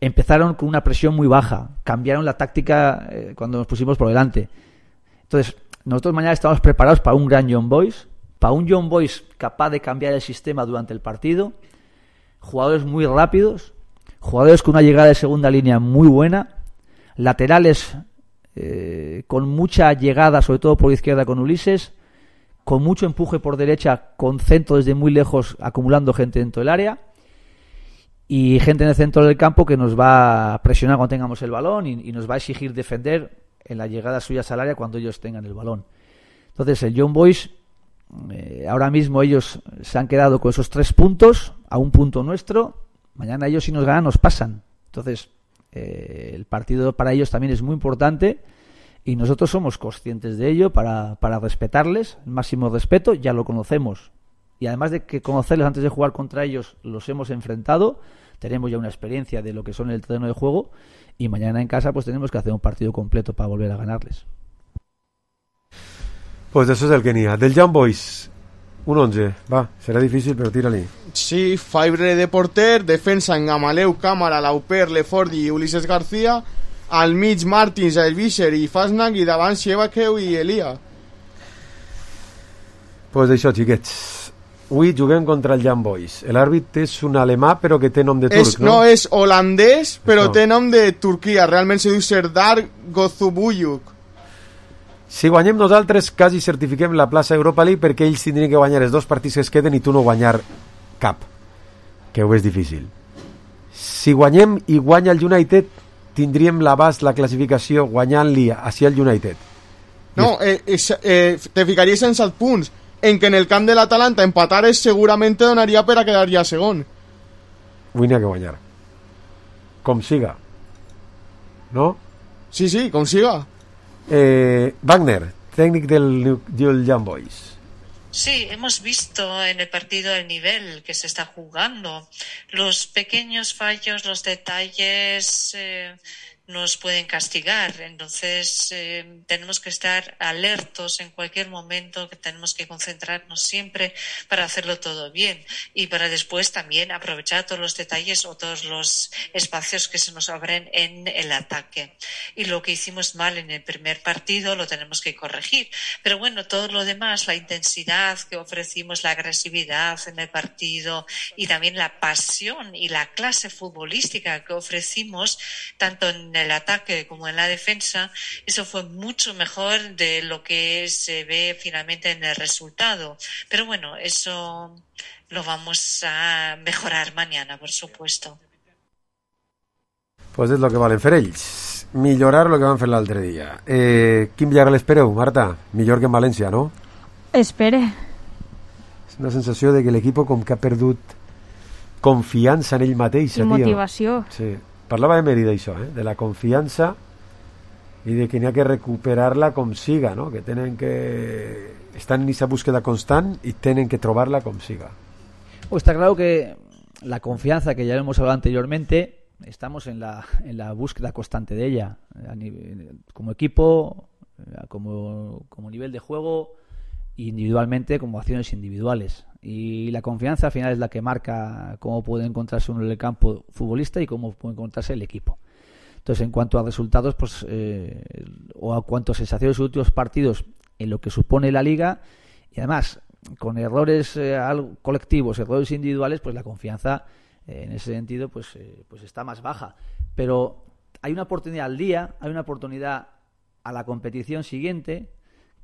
Empezaron con una presión muy baja, cambiaron la táctica eh, cuando nos pusimos por delante. Entonces, nosotros mañana estamos preparados para un gran Young Boys, para un Young Boys capaz de cambiar el sistema durante el partido, jugadores muy rápidos, jugadores con una llegada de segunda línea muy buena, laterales eh, con mucha llegada, sobre todo por izquierda con Ulises, con mucho empuje por derecha, con centro desde muy lejos, acumulando gente dentro del área, y gente en el centro del campo que nos va a presionar cuando tengamos el balón y, y nos va a exigir defender en las llegadas suyas al área cuando ellos tengan el balón. Entonces el Young Boys, eh, ahora mismo ellos se han quedado con esos tres puntos, a un punto nuestro. Mañana ellos, si nos ganan, nos pasan. Entonces eh, el partido para ellos también es muy importante y nosotros somos conscientes de ello para, para respetarles, el máximo respeto. Ya lo conocemos, y además de que conocerles antes de jugar contra ellos, los hemos enfrentado, tenemos ya una experiencia de lo que son el terreno de juego, y mañana en casa pues tenemos que hacer un partido completo para volver a ganarles. Pues eso es el que n'hi ha. Del Young Boys, un once. Va, serà difícil, però tira-li. Sí, Fabre de porter, defensa en Gamaleu, Cámara, Lauper, Lefordi i Ulises García, al mig Martins, Elvisser i Fasnac, i davant Siebakeu i Elia. Pues d'això, xiquets. Avui juguem contra el Young Boys. L'àrbit és un alemà, però que té nom de turc, és, no? No, és holandès, però no. Té nom de Turquia. Realment se diu Serdar Gozubuyuk. Si guanyem nosaltres, quasi certifiquem la plaça Europa League, perquè ells tindrien que guanyar els dos partits que es queden i tu no guanyar cap, que ho és difícil. Si guanyem i guanya el United, tindríem l'abast, la classificació, guanyant-li hacia el United. No, eh, eh, eh, te ficaries en set punts, en que en el camp de l'Atalanta empatares segurament te donaria per a quedar ja segon. Avui n'hi ha que guanyar. Com siga. ¿No? Sí, sí, com siga. Eh, Wagner, técnico del, del Young Boys. Sí, hemos visto en el partido el nivel que se está jugando. Los pequeños fallos, los detalles eh, nos pueden castigar. Entonces eh, tenemos que estar alertos en cualquier momento, que tenemos que concentrarnos siempre para hacerlo todo bien y para después también aprovechar todos los detalles o todos los espacios que se nos abren en el ataque. Y lo que hicimos mal en el primer partido lo tenemos que corregir. Pero bueno, todo lo demás, la intensidad que ofrecimos, la agresividad en el partido y también la pasión y la clase futbolística que ofrecimos tanto en el ataque como en la defensa, eso fue mucho mejor de lo que se ve finalmente en el resultado. Pero bueno, eso lo vamos a mejorar mañana, por supuesto. Pues és el que valen fer ells, millorar el que van fer l'altre dia. Eh, quin Villarreal espereu, Marta? Millor que en València, no? Espere. És una sensació de que l'equip com que ha perdut confiança en ell mateix. I motivació. Sí. Parlava Emery d'això, eh? De la confiança i de que n'hi ha que recuperar-la com siga, no? Que tenen que... Estan en esa búsqueda constant y tienen que trobarla como siga. Pues está claro que la confianza, que ya lo hemos hablado anteriormente, estamos en la, en la búsqueda constante de ella, a nivel, como equipo, como, como nivel de juego, individualmente, como acciones individuales. Y la confianza al final es la que marca cómo puede encontrarse uno en el campo futbolista y cómo puede encontrarse el equipo. Entonces, en cuanto a resultados, pues eh, o a cuanto a sensaciones de los últimos partidos en lo que supone la liga, y además con errores eh, colectivos, errores individuales, pues la confianza eh, en ese sentido pues, eh, pues está más baja. Pero hay una oportunidad al día, hay una oportunidad a la competición siguiente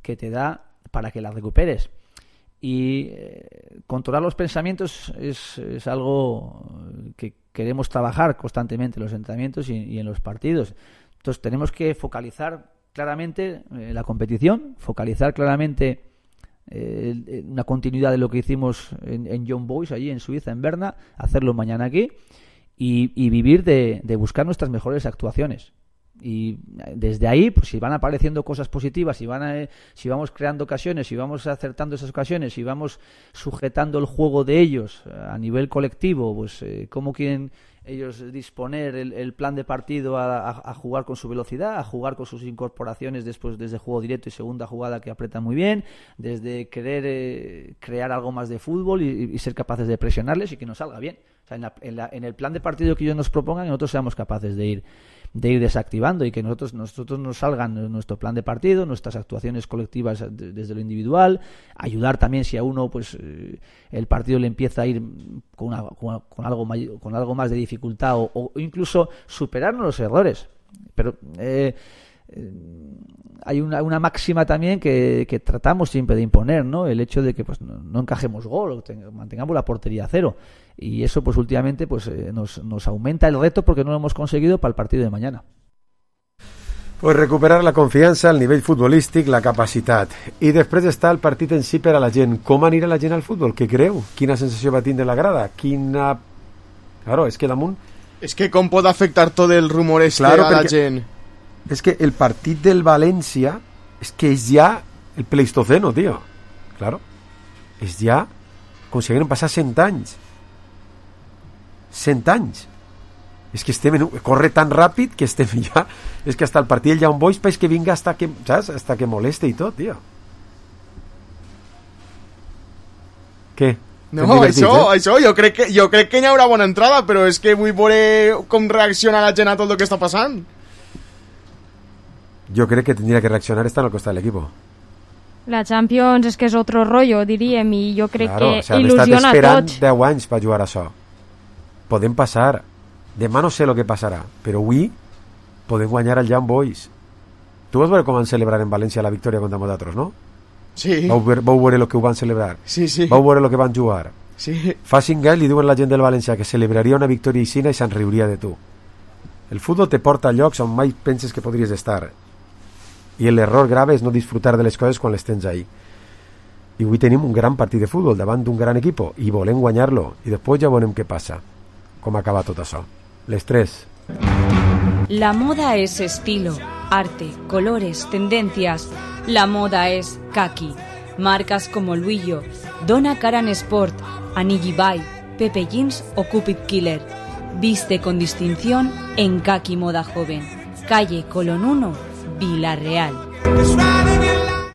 que te da para que la recuperes. Y eh, controlar los pensamientos es, es algo que queremos trabajar constantemente en los entrenamientos y, y en los partidos. Entonces tenemos que focalizar claramente eh, la competición, focalizar claramente eh, una continuidad de lo que hicimos en, en Young Boys allí en Suiza, en Berna, hacerlo mañana aquí y, y vivir de, de buscar nuestras mejores actuaciones. Y desde ahí, pues si van apareciendo cosas positivas, si van a, si vamos creando ocasiones, si vamos acertando esas ocasiones, si vamos sujetando el juego de ellos a nivel colectivo, pues eh, cómo quieren ellos disponer el, el plan de partido a, a, a jugar con su velocidad, a jugar con sus incorporaciones después desde juego directo y segunda jugada que apretan muy bien, desde querer eh, crear algo más de fútbol y, y ser capaces de presionarles y que nos salga bien. O sea, en, la, en, la, en el plan de partido que ellos nos propongan, nosotros seamos capaces de ir de ir desactivando y que nosotros nosotros nos salgan nuestro plan de partido, nuestras actuaciones colectivas desde lo individual, ayudar también si a uno pues eh, el partido le empieza a ir con, una, con, con algo mayor, con algo más de dificultad o, o incluso superarnos los errores. Pero eh, eh, hay una, una máxima también que, que tratamos siempre de imponer, ¿no? El hecho de que pues no, no encajemos gol o ten, mantengamos la portería a cero. Y eso pues últimamente pues eh, nos, nos aumenta el reto porque no lo hemos conseguido para el partido de mañana. Pues recuperar la confiança, el nivell futbolístic, la capacitat. I després està el partit en si per a la gent. Com anirà la gent al futbol? Què creu? Quina sensació va tindre la grada? Quina... Claro, és que damunt... És que com pot afectar tot el rumor este claro, a la gent? És que el partit del València és que és ja el Pleistoceno, tío. Claro. És ja com si hagueren passat cent anys. cent anys. És que estem en, corre tan ràpid que estem ja... És que hasta el partit del Young Boys pareix que vinga hasta que, saps? Hasta que moleste i tot, tio. Què? No, això, eh? això, jo crec que jo crec que hi haurà bona entrada, però és que vull veure com reacciona la gent a tot el que està passant. Jo crec que tindria que reaccionar estar al costat de l'equip. La Champions és que és otro rollo, diríem, i jo crec claro, que o sea, il·lusiona a tots. Han estat esperant deu anys per jugar a això. Podem passar. Demà no sé el que passarà, però avui podem guanyar el Young Boys. Tu vas veure com van celebrar en València la victòria contra nosaltres, no? Sí. Vau, ver, vau veure el que ho van celebrar. Sí, sí. Vau veure el que van jugar. Sí. Fa cinc anys li diuen a la gent del València que celebraria una victòria aixina i se'n riuria de tu. El futbol te porta a llocs on mai penses que podries estar. I l'error grave és no disfrutar de les coses quan les tens ahí. I avui tenim un gran partit de futbol davant d'un gran equip i volem guanyar-lo. I després ja veurem què passa. Com acaba tot això. Les tres. La moda es estilo, arte, colores, tendencias. La moda es kaki. Marcas como Luillo, Donna Karan Sport, Anigi Bai, Pepe Jeans o Cupid Killer. Viste con distinción en Kaki Moda Joven. Calle Colón uno, Villarreal.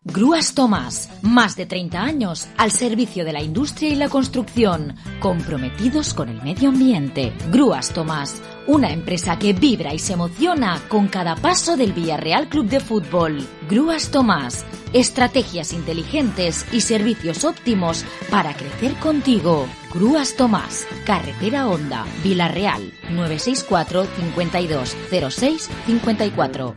Grúas Tomás, más de treinta años al servicio de la industria y la construcción, comprometidos con el medio ambiente. Grúas Tomás, una empresa que vibra y se emociona con cada paso del Villarreal Club de Fútbol. Grúas Tomás, estrategias inteligentes y servicios óptimos para crecer contigo. Gruas Tomás, carretera Honda, Vila-real, nueve seis cuatro, cincuenta y dos, cero seis, cincuenta y cuatro.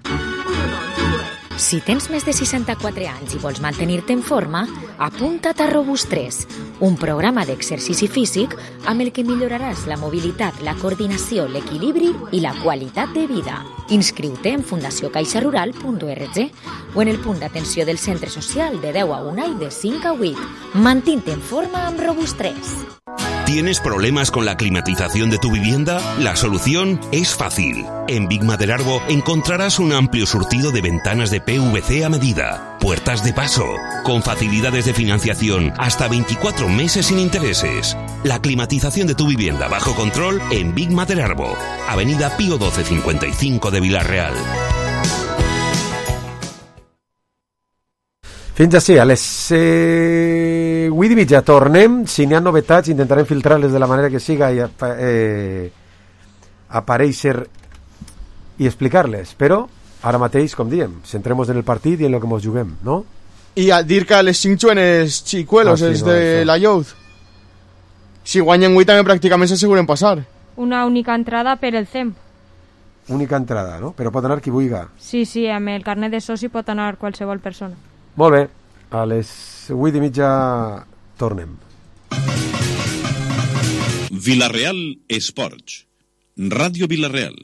Si tens més de seixanta-quatre anys i vols mantenir-te en forma, apunta't a Robust tres, un programa d'exercici físic amb el que milloraràs la mobilitat, la coordinació, l'equilibri i la qualitat de vida. Inscriu-te en fundació caixa rural punt org o en el punt d'atenció del centre social de deu a una i de cinc a vuit. Mantén-te en forma amb Robust tres. ¿Tienes problemas con la climatización de tu vivienda? La solución es fácil. En Big Maderarbo encontrarás un amplio surtido de ventanas de P V C a medida, puertas de paso, con facilidades de financiación hasta veinticuatro meses sin intereses. La climatización de tu vivienda bajo control en Big Maderarbo, Avenida Pío doce cincuenta y cinco de Vila-real. Fins així, a les eh, vuit i mitja tornem. Si n'hi ha novetats intentarem filtrar-les de la manera que siga i eh, aparèixer i explicar-les, però ara mateix, com diem, centrem-nos en el partit i en el que ens juguem, no? I a dir que les cinc juenes xicuelos ah, sí, és no, de això. La Youth. Si guanyen vuit també pràcticament s'asseguren passar. Una única entrada per el C E M. Única entrada, no? Però pot anar qui vulgui. Sí, sí, amb el carnet de soci pot anar qualsevol persona. Molt bé, a les vuit i mitja tornem. Vila-real Esports, Ràdio Vila-real.